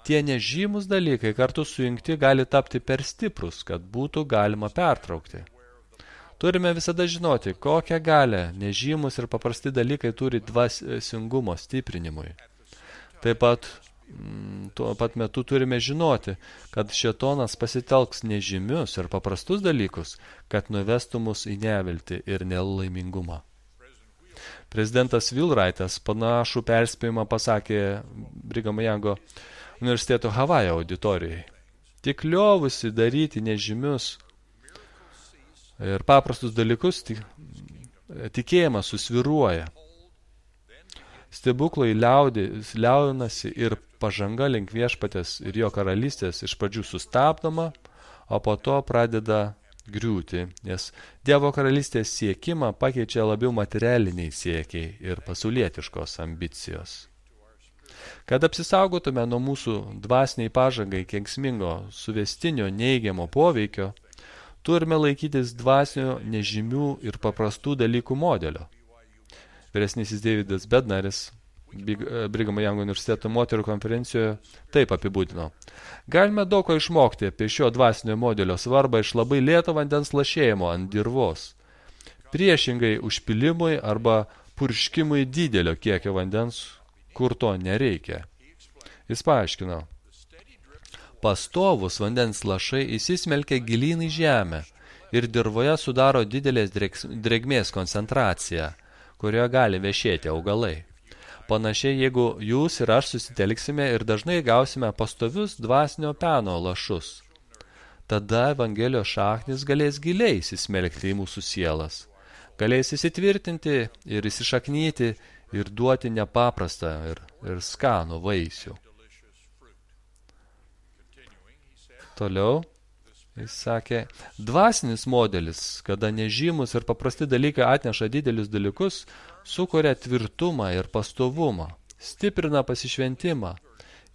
tie nežymus dalykai kartu sujungti gali tapti per stiprus, kad būtų galima pertraukti. Turime visada žinoti, kokią galę nežymus ir paprasti dalykai turi dvasingumo stiprinimui. Taip pat tuo pat metu turime žinoti, kad šėtonas pasitelks nežymius ir paprastus dalykus, kad nuvestų mus į neviltį ir nelaimingumą. Prezidentas Wheelwrightas panašų perspėjimą pasakė Brighamo Youngo universiteto Havajo auditorijai. Tik liovusi daryti nežymius ir paprastus dalykus, tikėjimas susviruoja. Stebuklai liaunasi ir pažanga link viešpatės ir jo karalystės iš pradžių sustabdoma, o po to pradeda griūti, nes Dievo karalystės siekimą pakeičia labiau materialiniai siekiai ir pasaulietiškos ambicijos. Kad apsisaugotume nuo mūsų dvasiniai pažangai kenksmingo suvestinio neigiamo poveikio, turime laikytis dvasinio nežymių ir paprastų dalykų modelio. Vyresnysis Davidas Bednaris Brighamo Youngo universiteto moterų konferencijoje taip apibūdino. Galime daug ko išmokti apie šio dvasinio modelio svarbą iš labai lėto vandens lašėjimo ant dirvos, priešingai užpilimui arba purškimui didelio kiekio vandens, kur to nereikia. Jis paaiškino, pastovus vandens lašai įsismelkia gilyn į žemę ir dirvoje sudaro didelės drėgmės koncentraciją, kurioje gali vešėti augalai. Panašiai, jeigu jūs ir aš susitelksime ir dažnai gausime pastovius dvasinio peno lašus, tada Evangelijos šaknis galės giliai įsismelkti į mūsų sielas, galės įsitvirtinti ir įsišaknyti ir duoti nepaprastą ir skanų vaisių. Toliau, jis sakė, dvasinis modelis, kada nežymus ir paprasti dalykai atneša didelius dalykus, sukuria tvirtumą ir pastovumą, stiprina pasišventimą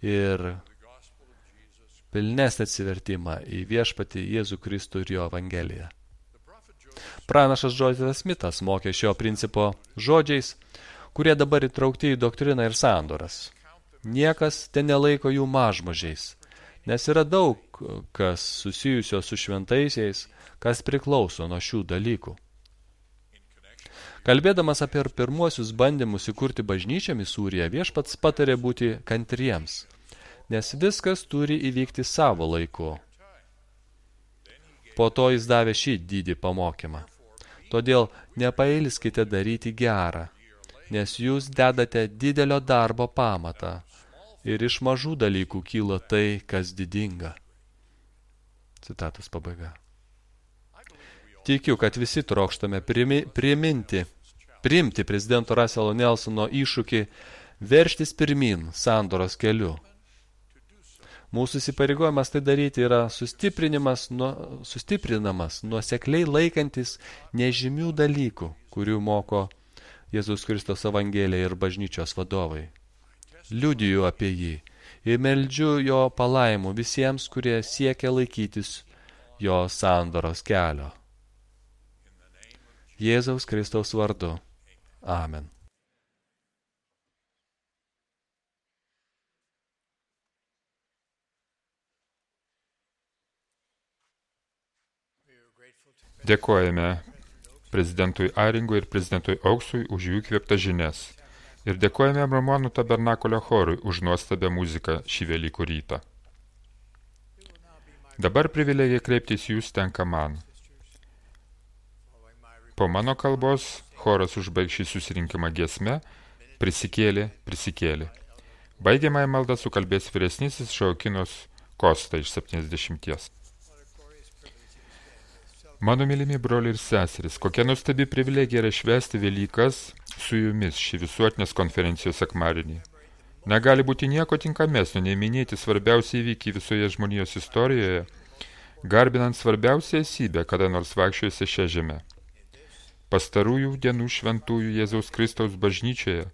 ir pilnesnį atsivertimą į viešpatį Jėzų Kristų ir jo Evangeliją. Pranašas Džozefas Smithas mokė šio principo žodžiais, kurie dabar įtraukti į doktriną ir sandoras. Niekas ten nelaiko jų mažmožiais, nes yra daug kas susijusio su šventaisiais, kas priklauso nuo šių dalykų. Kalbėdamas apie pirmuosius bandymus įkurti bažnyčią Misūryje, viešpats patarė būti kantriems, nes viskas turi įvykti savo laiku. Po to jis davė šį didį pamokymą. Todėl nepailskite daryti gerą, nes jūs dedate didelio darbo pamatą ir iš mažų dalykų kyla tai, kas didinga. Citatos pabaiga. Tikiu, kad visi trokštame priimti prezidento Russelo Nelsono iššūkį verštis pirmin sandoros keliu. Mūsų įsipareigojimas tai daryti yra sustiprinamas nuosekliai laikantis nežymių dalykų, kurių moko Jėzus Kristos Evangelija ir bažnyčios vadovai. Liudiju apie jį ir meldžiu jo palaimų visiems, kurie siekia laikytis jo sandoros kelio. Jėzaus Kristaus vardu. Amen. Dėkojame prezidentui Aringui ir prezidentui Auksui už jų įkvėptas žinias. Ir dėkojame Mormonų tabernakulio chorui už nuostabią muziką šį Velykų rytą. Dabar privilegija kreiptis jūs tenka man. Po mano kalbos choras užbaigs šį susirinkimą giesme prisikėlė, prisikėlė. Baigiamąją maldą sukalbės vyresnysis Šaokinos Kosta iš 70. Mano mylimi broliai ir seseris, kokia nuostabi privilegija yra švęsti Velykas su jumis šį visuotinės konferencijos sekmadienį. Negali būti nieko tinkamesnio, nei minėti svarbiausią įvykį visoje žmonijos istorijoje, garbinant svarbiausią esybę, kada nors vaikščiojusi šią žemę. Pastarųjų dienų šventųjų Jėzaus Kristaus bažnyčioje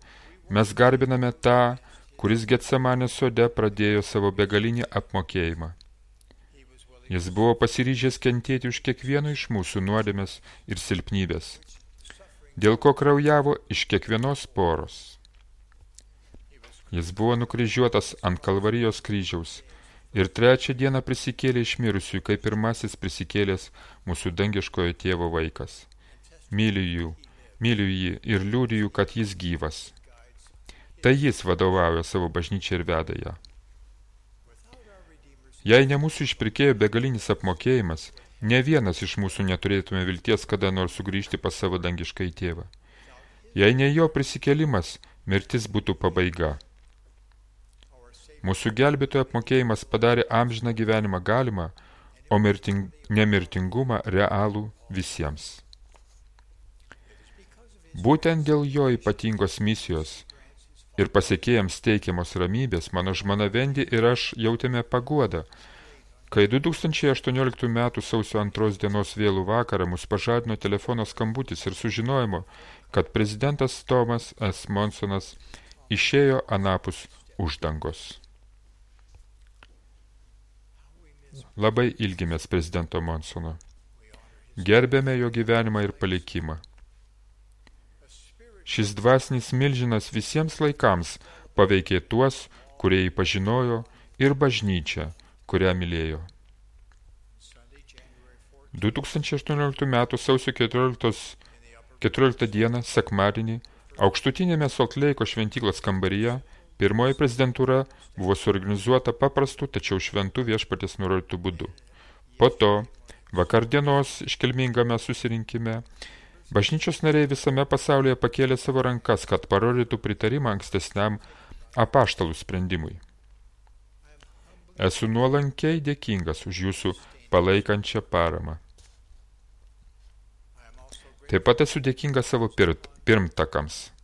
mes garbiname tą, kuris Getsemanės sode pradėjo savo begalinį apmokėjimą. Jis buvo pasiryžęs kentėti už kiekvieno iš mūsų nuodėmės ir silpnybės, dėl ko kraujavo iš kiekvienos poros. Jis buvo nukryžiuotas ant Kalvarijos kryžiaus ir 3 dieną prisikėlė iš mirusiųjų, kaip pirmasis prisikėlęs mūsų dangiškojo tėvo vaikas. Myliu jį ir liudiju, kad jis gyvas. Tai jis vadovauja savo bažnyčią ir veda ją. Jei ne mūsų išpirkėjo begalinis apmokėjimas, ne vienas iš mūsų neturėtume vilties kada nors sugrįžti pas savo dangišką tėvą. Jei ne jo prisikėlimas, mirtis būtų pabaiga. Mūsų gelbėtojo apmokėjimas padarė amžiną gyvenimą galimą, o nemirtingumą realų visiems. Būtent dėl jo ypatingos misijos ir pasiekėjams teikiamos ramybės, mano žmona Vendi ir aš jautėme paguodą, kai 2018 m. sausio 2 dienos vėlų vakarą mus pažadino telefono skambutis ir sužinojimo, kad prezidentas Thomas S. Monsonas išėjo anapus uždangos. Labai ilgimės prezidento Monsono. Gerbėme jo gyvenimą ir palikimą. Šis dvasinis milžinas visiems laikams paveikė tuos, kurie jį pažinojo, ir bažnyčią, kurią mylėjo. 2018 m. sausio 14 dieną, sekmadienį, aukštutinėme Salt Lake'o šventyklos kambaryje, pirmoji prezidentūra buvo suorganizuota paprastu, tačiau šventų viešpaties nurodytų būdu. Po to, vakardienos iškilmingame susirinkime, bažnyčios nariai visame pasaulyje pakėlė savo rankas, kad parodytų pritarimą ankstesniam apaštalų sprendimui. Esu nuolankiai dėkingas už jūsų palaikančią paramą. Taip pat esu dėkingas savo pirmtakams.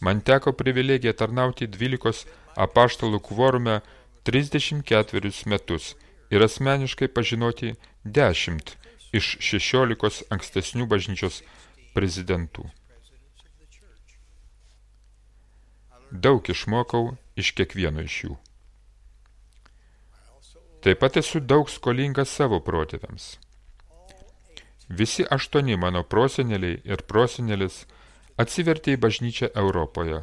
Man teko privilegija tarnauti 12 apaštalų kvorume 34 metus ir asmeniškai pažinoti 10 iš 16 ankstesnių bažnyčios prezidentų. Daug išmokau iš kiekvieno iš jų. Taip pat esu daug skolingas savo protėviams. Visi 8 mano proseneliai ir prosenelis atsivertė į bažnyčią Europoje.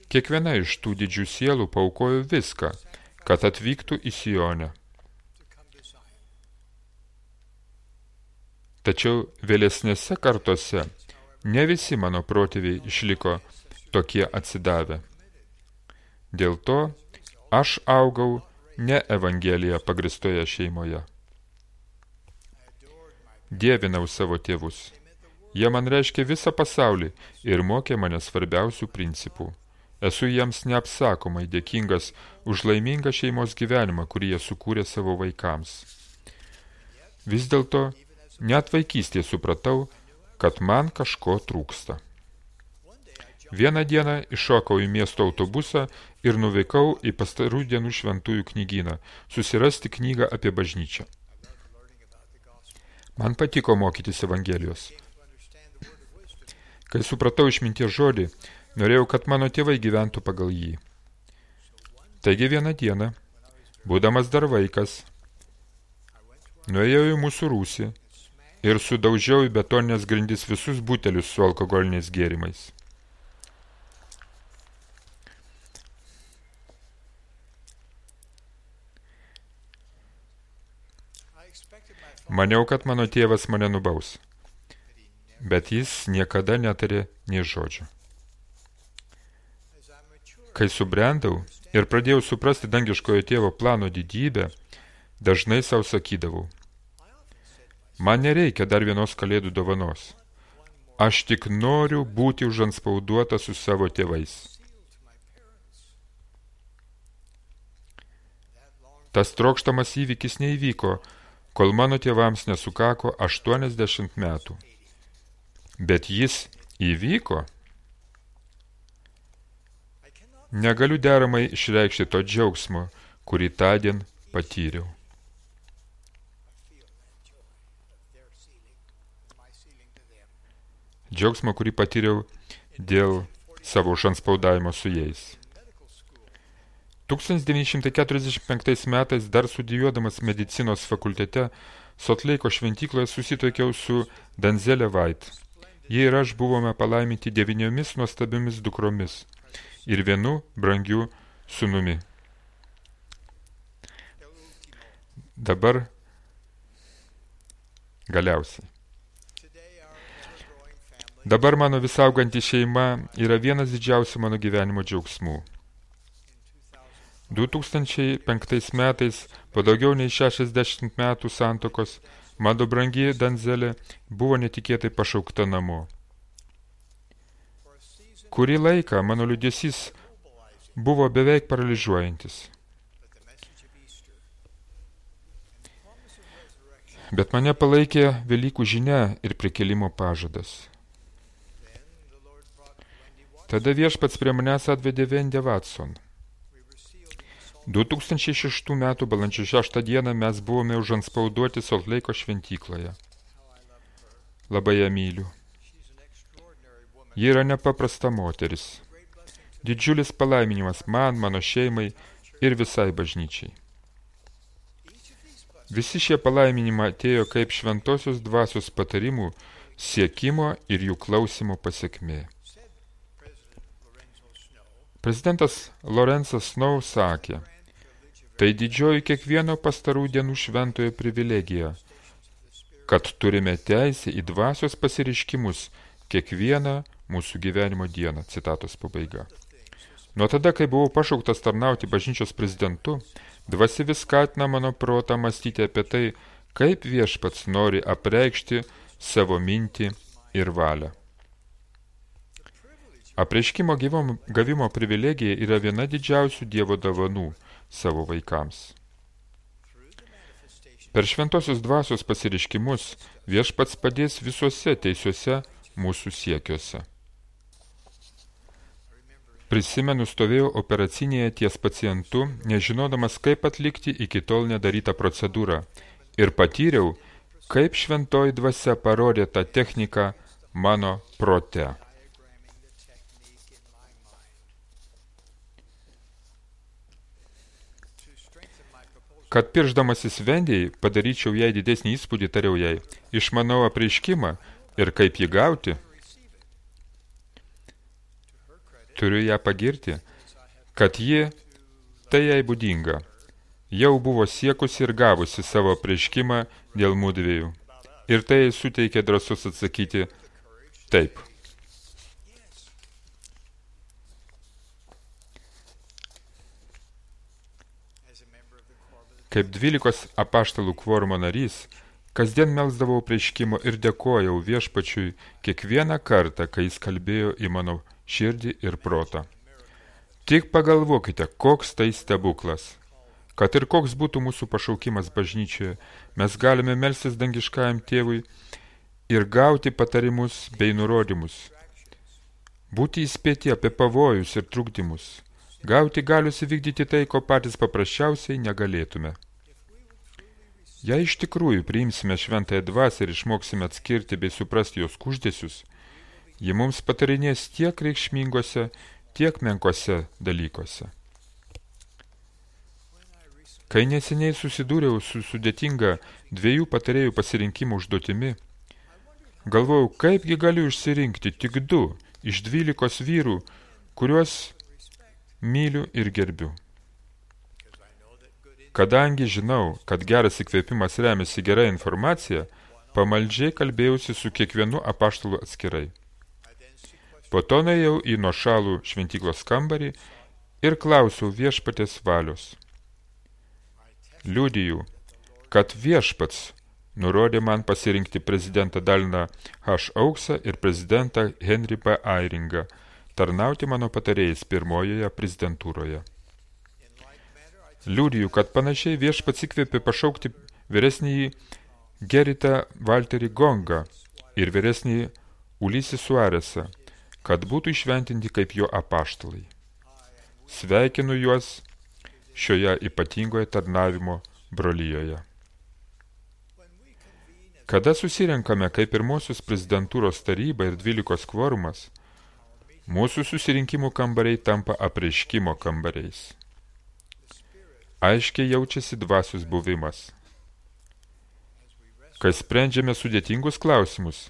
Kiekviena iš tų didžių sielų paaukojo viską, kad atvyktų į Sionę. Tačiau vėlesnėse kartose ne visi mano protėviai išliko tokie atsidavę. Dėl to aš augau ne Evangeliją pagristoje šeimoje. Dievinau savo tėvus. Jie man reiškia visą pasaulį ir mokė mane svarbiausių principų. Esu jiems neapsakomai dėkingas už laimingą šeimos gyvenimą, kurį jie sukūrė savo vaikams. Vis dėlto, net vaikystėje supratau, kad man kažko trūksta. Vieną dieną iššokau į miesto autobusą ir nuvykau į pastarų dienų šventųjų knygyną, susirasti knygą apie bažnyčią. Man patiko mokytis Evangelijos. Kai supratau išminties žodį, norėjau, kad mano tėvai gyventų pagal jį. Taigi vieną dieną, būdamas dar vaikas, nuėjau į mūsų rūsį ir sudaužiau į betoninės grindis visus butelius su alkoholiniais gėrimais. Maniau, kad mano tėvas mane nubaus, bet jis niekada netarė nė žodžio. Kai subrendau ir pradėjau suprasti dangiškojo tėvo plano didybę, dažnai savo sakydavau, man nereikia dar vienos kalėdų dovanos. Aš tik noriu būti užantspauduota su savo tėvais. Tas trokštamas įvykis neįvyko, kol mano tėvams nesukako 80 metų. Bet jis įvyko. Negaliu deramai išreikšti to džiaugsmo, kurį tądien patyriau. Džiaugsmo, kurį patyriau dėl savo užantspaudavimo su jais. 1945 metais dar studijuodamas medicinos fakultete Sotleiko šventykloje susitokiau su Danzelė White. Jie ir aš buvome palaiminti 9 nuostabiomis dukromis ir 1 brangiu sūnumi. Dabar galiausiai. Dabar mano visauganti šeima yra vienas didžiausių mano gyvenimo džiaugsmų. 2005 metais, po daugiau nei 60 metų santokos, mano brangi Danzelė buvo netikėtai pašaukta namo. Kurį laiką mano liūdesys buvo beveik paralyžiuojantis. Bet mane palaikė Velykų žinia ir prikėlimo pažadas. Tada viešpats prie manęs atvedė Wendy Watson. 2006 metų balandžio 6 dieną mes buvome užantspauduoti Soltleiko šventykloje. Labai ją myliu. Ji yra nepaprasta moteris. Didžiulis palaiminimas man, mano šeimai ir visai bažnyčiai. Visi šie palaiminimai atėjo kaip šventosios dvasios patarimų, siekimo ir jų klausimo pasekmė. Prezidentas Lorenzas Snow sakė, tai didžioji kiekvieno pastarų dienų šventojo privilegija, kad turime teisę į dvasios pasireiškimus kiekvieną mūsų gyvenimo dieną. Citatos pabaiga. Nuo tada, kai buvau pašauktas tarnauti bažnyčios prezidentu, dvasia vis skatina mano protą mąstyti apie tai, kaip viešpats nori apreikšti savo mintį ir valią. Apreiškimo gavimo privilegija yra viena didžiausių Dievo dovanų savo vaikams. Per šventosios dvasios pasireiškimus viešpats padės visuose teisiuose mūsų siekiuose. Prisimenu, stovėjau operacinėje ties pacientu, nežinodamas, kaip atlikti iki tol nedarytą procedūrą, ir patyriau, kaip šventoji dvasia parodė tą techniką mano prote. Kad piršdamasis Vendijai padaryčiau jai didesnį įspūdį, tariau jai, išmanau apreiškimą ir kaip jį gauti. Turiu ją pagirti, kad ji, tai jai būdinga, jau buvo siekusi ir gavusi savo apreiškimą dėl mudviejų. Ir tai suteikė drąsos atsakyti taip. Kaip 12 apaštalų kvorumo narys, kasdien melsdavau apreiškimo ir dėkojau viešpačiui kiekvieną kartą, kai jis kalbėjo į mano širdį ir protą. Tik pagalvokite, koks tai stebuklas. Kad ir koks būtų mūsų pašaukimas bažnyčioje, mes galime melstis dangiškajam tėvui ir gauti patarimus bei nurodymus. Būti įspėti apie pavojus ir trukdymus. Gauti galius įvykdyti tai, ko patys paprasčiausiai negalėtume. Jei iš tikrųjų priimsime šventąją dvasią ir išmoksime atskirti bei suprasti jos kuždesius, ji mums patarinės tiek reikšmingose, tiek menkose dalykuose. Kai neseniai susidūriau su sudėtinga 2 patarėjų pasirinkimo užduotimi, galvojau, kaipgi galiu išsirinkti tik 2 iš 12 vyrų, kuriuos myliu ir gerbiu. Kadangi žinau, kad geras įkvėpimas remiasi gera informacija, pamaldžiai kalbėjausi su kiekvienu apaštalu atskirai. Po to nuėjau į nuošalų šventyklos kambarį ir klausiau viešpatės valios. Liudiju, kad viešpats nurodė man pasirinkti prezidentą Daliną H. Auksą ir prezidentą Henry B. Airingą, tarnauti mano patarėjais pirmojoje prezidentūroje. Liudiju, kad panašiai viešpats įkvėpė pašaukti vyresnįjį Geritą Walterį Gongą ir vyresnįjį Ulisį Suaresą, kad būtų išventinti kaip jo apaštalai. Sveikinu juos šioje ypatingoje tarnavimo brolyjoje. Kada susirenkame kaip pirmosios prezidentūros taryba ir 12 kvorumas, mūsų susirinkimų kambariai tampa apreiškimo kambariais. Aiškiai jaučiasi dvasios buvimas. Kai sprendžiame sudėtingus klausimus,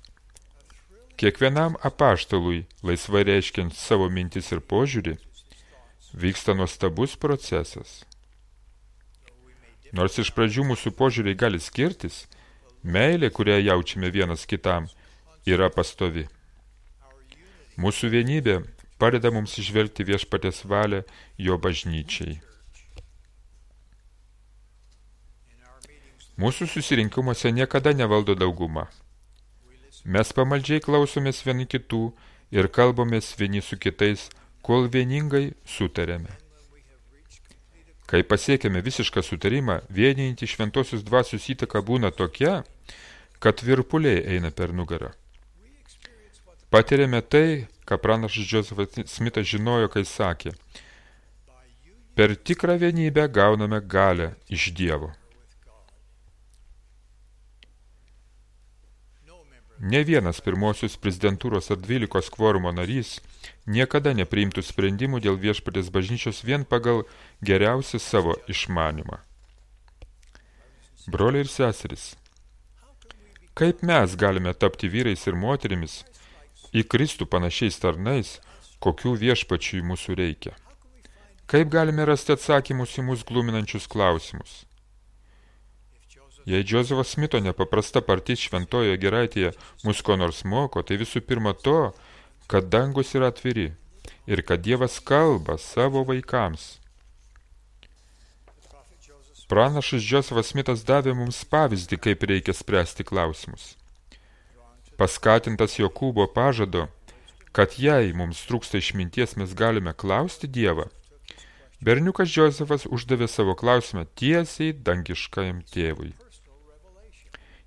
kiekvienam apaštalui, laisvai reiškiant savo mintis ir požiūrį, vyksta nuostabus procesas. Nors iš pradžių mūsų požiūriai gali skirtis, meilė, kurią jaučiame vienas kitam, yra pastovi. Mūsų vienybė padeda mums išvelgti viešpaties valią jo bažnyčiai. Mūsų susirinkimuose niekada nevaldo dauguma. Mes pamaldžiai klausomės vieni kitų ir kalbamės vieni su kitais, kol vieningai sutarėme. Kai pasiekėme visišką sutarimą, vienijantį šventosios dvasios įtaka būna tokia, kad virpuliai eina per nugarą. Patiriame tai, ką pranašas Josephat Smithas žinojo, kai sakė: per tikrą vienybę gauname galią iš Dievo. Ne vienas pirmosios prezidentūros ar 12 kvorumo narys niekada nepriimtų sprendimų dėl viešpatės bažnyčios vien pagal geriausią savo išmanymą. Broliai ir seserys, kaip mes galime tapti vyrais ir moterimis, į Kristų panašiais tarnais, kokių viešpačiui mūsų reikia? Kaip galime rasti atsakymus į mūsų gluminančius klausimus? Jei Josepho Smito nepaprasta partys šventojoje giraitėje mus ko nors moko, tai visų pirma to, kad dangus yra atviri ir kad Dievas kalba savo vaikams. Pranašas Josephas Smithas davė mums pavyzdį, kaip reikia spręsti klausimus. Paskatintas Jokūbo pažado, kad jei mums trūksta išminties, mes galime klausti Dievą, berniukas Josephas uždavė savo klausimą tiesiai dangiškajam tėvui.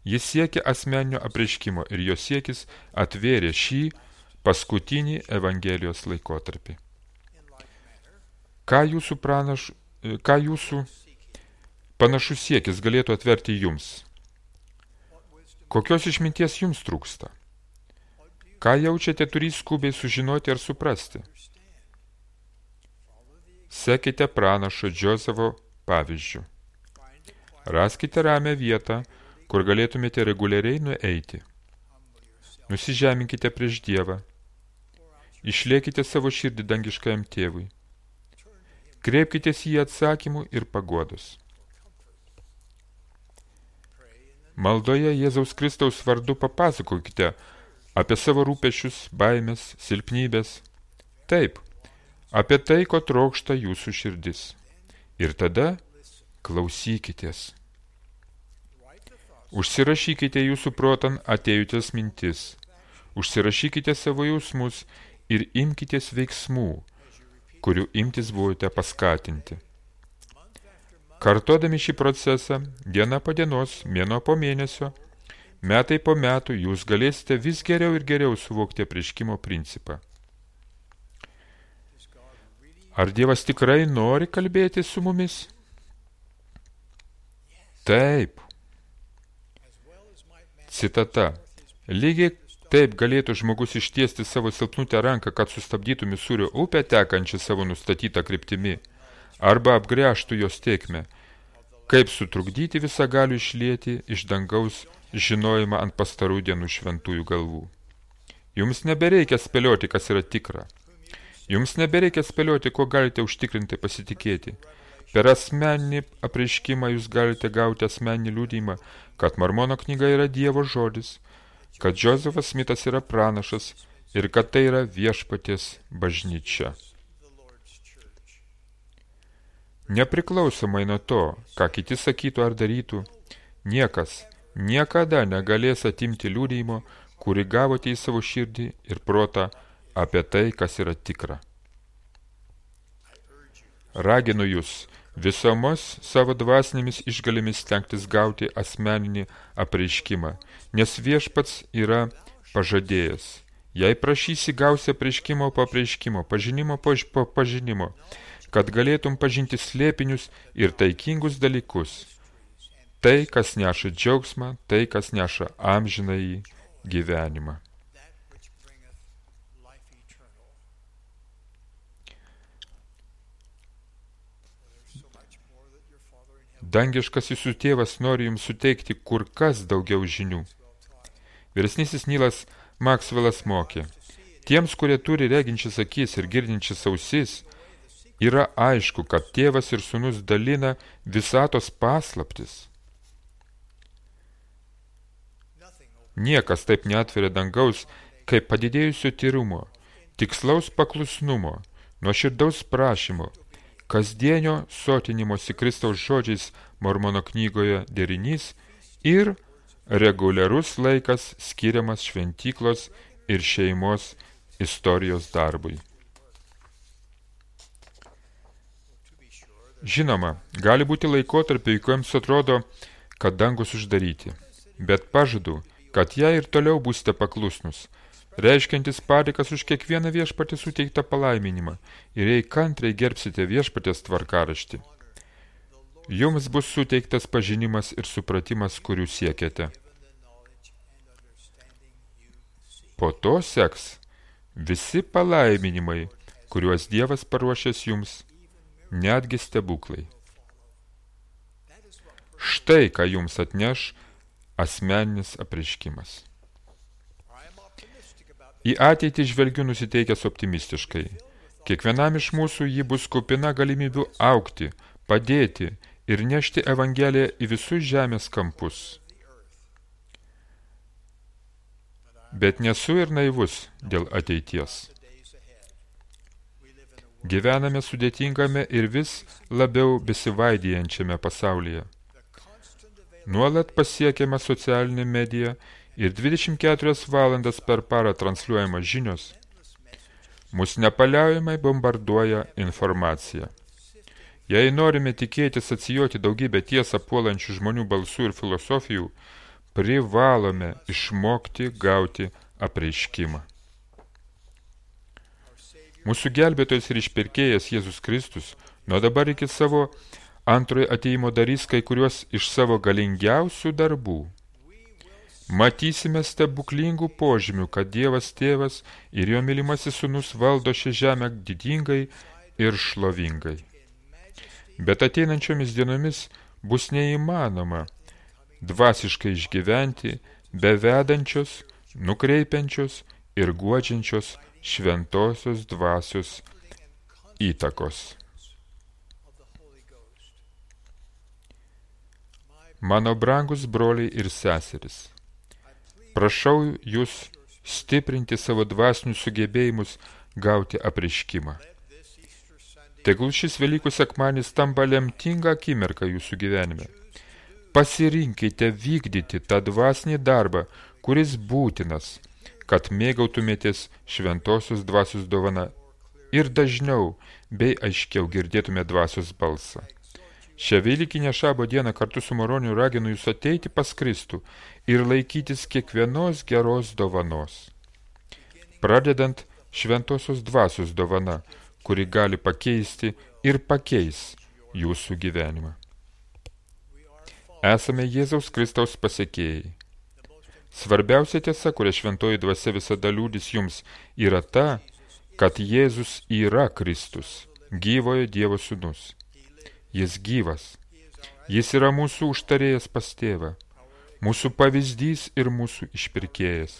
Jis siekė asmeninio apreiškimo ir jo siekis atvėrė šį paskutinį Evangelijos laikotarpį. Ką jūsų panašus siekis galėtų atverti jums? Kokios išminties jums trūksta? Ką jaučiate turį skubiai sužinoti ar suprasti? Sekite pranašo Josepho pavyzdžiu. Raskite ramią vietą, kur galėtumėte reguliariai nueiti. Nusižeminkite prieš Dievą. Išliekite savo širdį dangiškajam tėvui. Kreipkitės į atsakymų ir paguodos. Maldoje Jėzaus Kristaus vardu papasakokite apie savo rūpešius, baimės, silpnybės. Taip, apie tai, ko trokšta jūsų širdis. Ir tada klausykitės. Užsirašykite jūsų protan atėjusias mintis, užsirašykite savo jausmus ir imkitės veiksmų, kurių imtis buvote paskatinti. Kartodami šį procesą, diena po dienos, mėnuo po mėnesio, metai po metų, jūs galėsite vis geriau ir geriau suvokti apreiškimo principą. Ar Dievas tikrai nori kalbėti su mumis? Taip. Citata. Lygiai taip galėtų žmogus ištiesti savo silpnutę ranką, kad sustabdytų Misūrio upę tekančią savo nustatytą kryptimi, arba apgręžtų jos tėkmę, kaip sutrukdyti visagalių išlieti iš dangaus žinojimą ant pastarų dienų šventųjų galvų. Jums nebereikia spėlioti, kas yra tikra. Jums nebereikia spėlioti, ko galite užtikrinti pasitikėti. Per asmeninį apreiškimą jūs galite gauti asmeninį liudijimą, kad Mormono knyga yra Dievo žodis, kad Josephas Smithas yra pranašas ir kad tai yra viešpaties bažnyčia. Nepriklausomai nuo to, ką kiti sakytų ar darytų, niekas, niekada negalės atimti liudijimo, kurį gavote į savo širdį ir protą apie tai, kas yra tikra. Raginu jūs visomis savo dvasinėmis išgalėmis stengtis gauti asmeninį apreiškimą, nes viešpats yra pažadėjęs. Jei prašysi, gausi apreiškimo po apreiškimo, pažinimo po pažinimo, kad galėtum pažinti slėpinius ir taikingus dalykus. Tai, kas neša džiaugsmą, tai, kas neša amžinąjį gyvenimą. Dangiškas jūsų tėvas nori jums suteikti kur kas daugiau žinių. Vyresnysis Nilas Maksvelas mokė, tiems, kurie turi reginčias akis ir girdinčias ausis, yra aišku, kad tėvas ir sūnus dalina visatos paslaptis. Niekas taip neatveria dangaus, kaip padidėjusio tyrumo, tikslaus paklusnumo, nuoširdaus prašymo, kasdienio sotinimosi Kristaus žodžiais Mormono knygoje derinys ir reguliarus laikas skiriamas šventyklos ir šeimos istorijos darbui. Žinoma, gali būti laikotarpiai, kuriems atrodo, kad dangus uždaryti, bet pažadu, kad jei ir toliau būsite paklusnus, reiškiantis padėkas už kiekvieną viešpatį suteiktą palaiminimą ir jei kantriai gerbsite viešpatės tvarkaraštį, jums bus suteiktas pažinimas ir supratimas, kurių siekiate. Po to seks visi palaiminimai, kuriuos Dievas paruošęs jums, netgi stebuklai. Štai, ką jums atneš asmeninis apreiškimas. Į ateitį žvelgiu nusiteikęs optimistiškai. Kiekvienam iš mūsų ji bus kupina galimybių augti, padėti ir nešti Evangeliją į visus žemės kampus. Bet nesu ir naivus dėl ateities. Gyvename sudėtingame ir vis labiau besivaidijančiame pasaulyje. Nuolat pasiekiama socialinė medija ir 24 valandas per parą transliuojama žinios, mus nepaliaujamai bombarduoja informacija. Jei norime tikėtis atsijoti daugybę tiesą puolančių žmonių balsų ir filosofijų, privalome išmokti gauti apreiškimą. Mūsų gelbėtojas ir išpirkėjas Jėzus Kristus nuo dabar iki savo antrojo atėjimo darys kai kuriuos iš savo galingiausių darbų. Matysime stebuklingų požymių, kad Dievas Tėvas ir jo mylimasis sūnus valdo šią žemę didingai ir šlovingai. Bet ateinančiomis dienomis bus neįmanoma dvasiškai išgyventi be vedančios, nukreipiančios ir guodžiančios šventosios dvasios įtakos. Mano brangus broliai ir seserys, prašau jūs stiprinti savo dvasinius sugebėjimus gauti apreiškimą. Tegul šis Velykų sekmadienis tampa lemtinga akimirka jūsų gyvenime. Pasirinkite vykdyti tą dvasinį darbą, kuris būtinas, kad mėgautumėtės šventosios dvasios dovana ir dažniau bei aiškiau girdėtume dvasios balsą. Šią Velykinę Šabo dieną kartu su Moroniu raginu jūs ateiti pas Kristų ir laikytis kiekvienos geros dovanos. Pradedant šventosios dvasios dovana, kuri gali pakeisti ir pakeis jūsų gyvenimą. Esame Jėzaus Kristaus pasekėjai. Svarbiausia tiesa, kurią šventoji dvasia visada liudys jums, yra ta, kad Jėzus yra Kristus, gyvojo Dievo sūnus. Jis gyvas. Jis yra mūsų užtarėjas pas tėvą, mūsų pavyzdys ir mūsų išpirkėjas.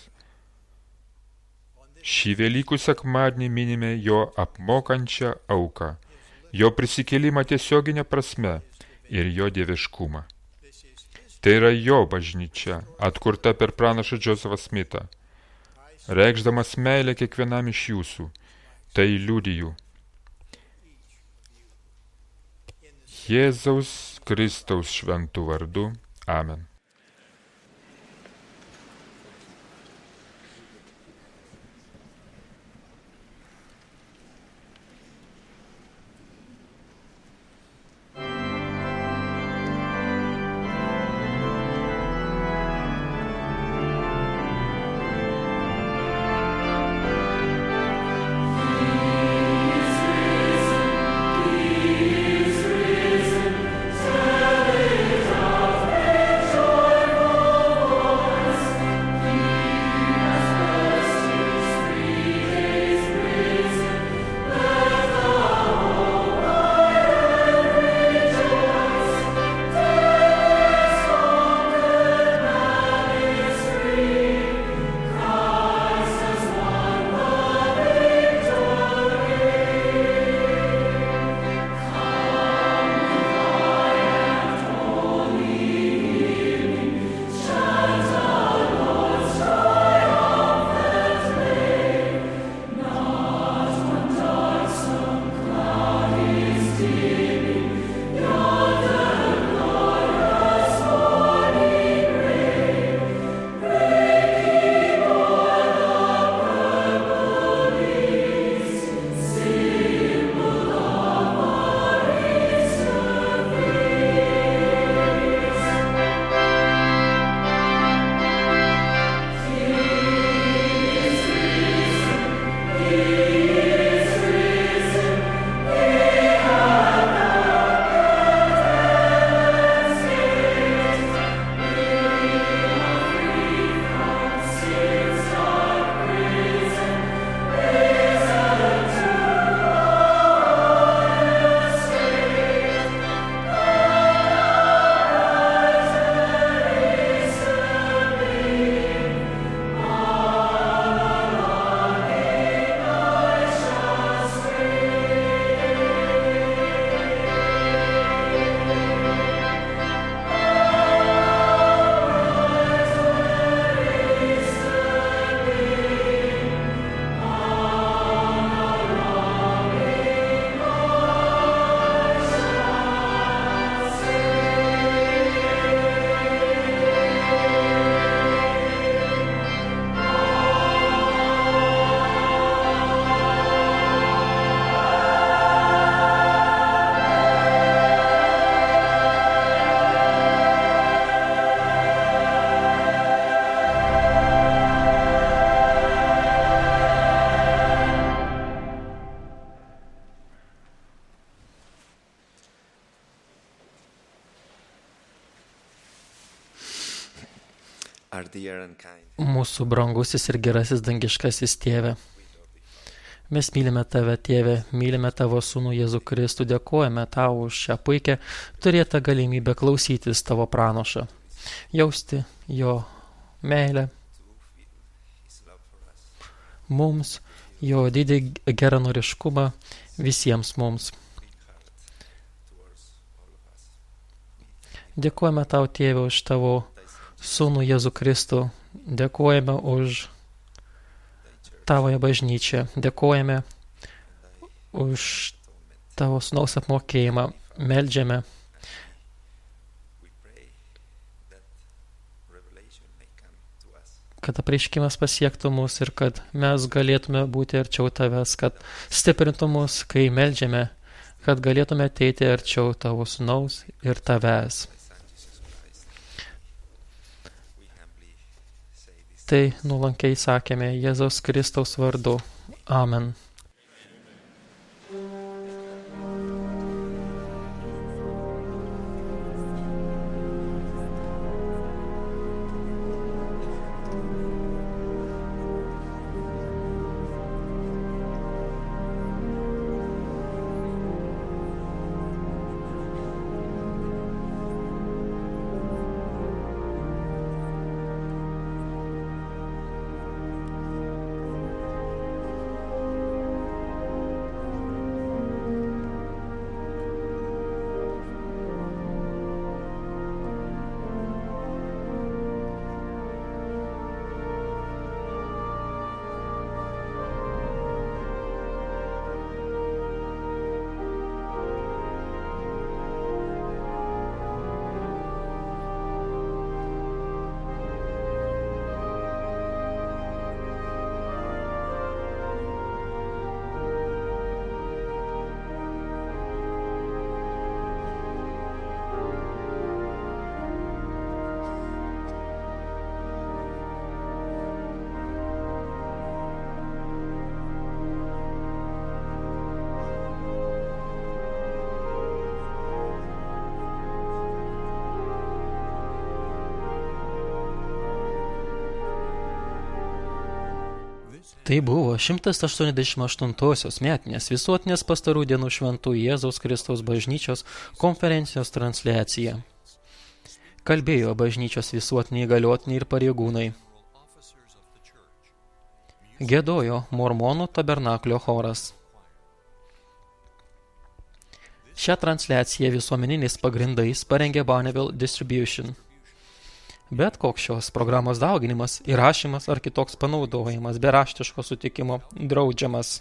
Šį Velykų sekmadienį minime jo apmokančią auką, jo prisikėlimą tiesioginę prasme ir jo dieviškumą. Tai yra jo bažnyčia, atkurta per pranašą Džozefą Smitą. Reikšdamas meilę kiekvienam iš jūsų, tai liudiju. Jėzaus Kristaus šventų vardu. Amen. Mūsų brangusis ir gerasis dangiškasis Tėve. Mes mylime Tave, Tėve, mylime Tavo Sūnų Jėzų Kristų, dėkojame Tau už šią puikią turėtą galimybę klausytis Tavo pranašą, jausti Jo meilę mums, Jo didį geranoriškumą visiems mums. Dėkojame Tau, Tėve, už Tavo Sūnų Jėzų Kristų, dėkojame už Tavoje bažnyčią, dėkojame už Tavo Sūnaus apmokėjimą, meldžiame, kad apreiškimas pasiektų mus ir kad mes galėtume būti arčiau Tavęs, kad stiprintų mus, kai meldžiame, kad galėtume ateiti arčiau Tavo Sūnaus ir Tavęs. Tai nuolankiai sakėme Jėzaus Kristaus vardu. Amen. Tai buvo 188-osios metinės visuotinės pastarų dienų šventų Jėzaus Kristaus bažnyčios konferencijos transliacija. Kalbėjo bažnyčios visuotiniai įgaliotiniai ir pareigūnai. Giedojo Mormonų tabernaklio choras. Šią transliaciją visuomeniniais pagrindais parengė Bonneville Distribution. Bet koks šios programos dauginimas, įrašymas ar kitoks panaudojimas be raštiško sutikimo draudžiamas.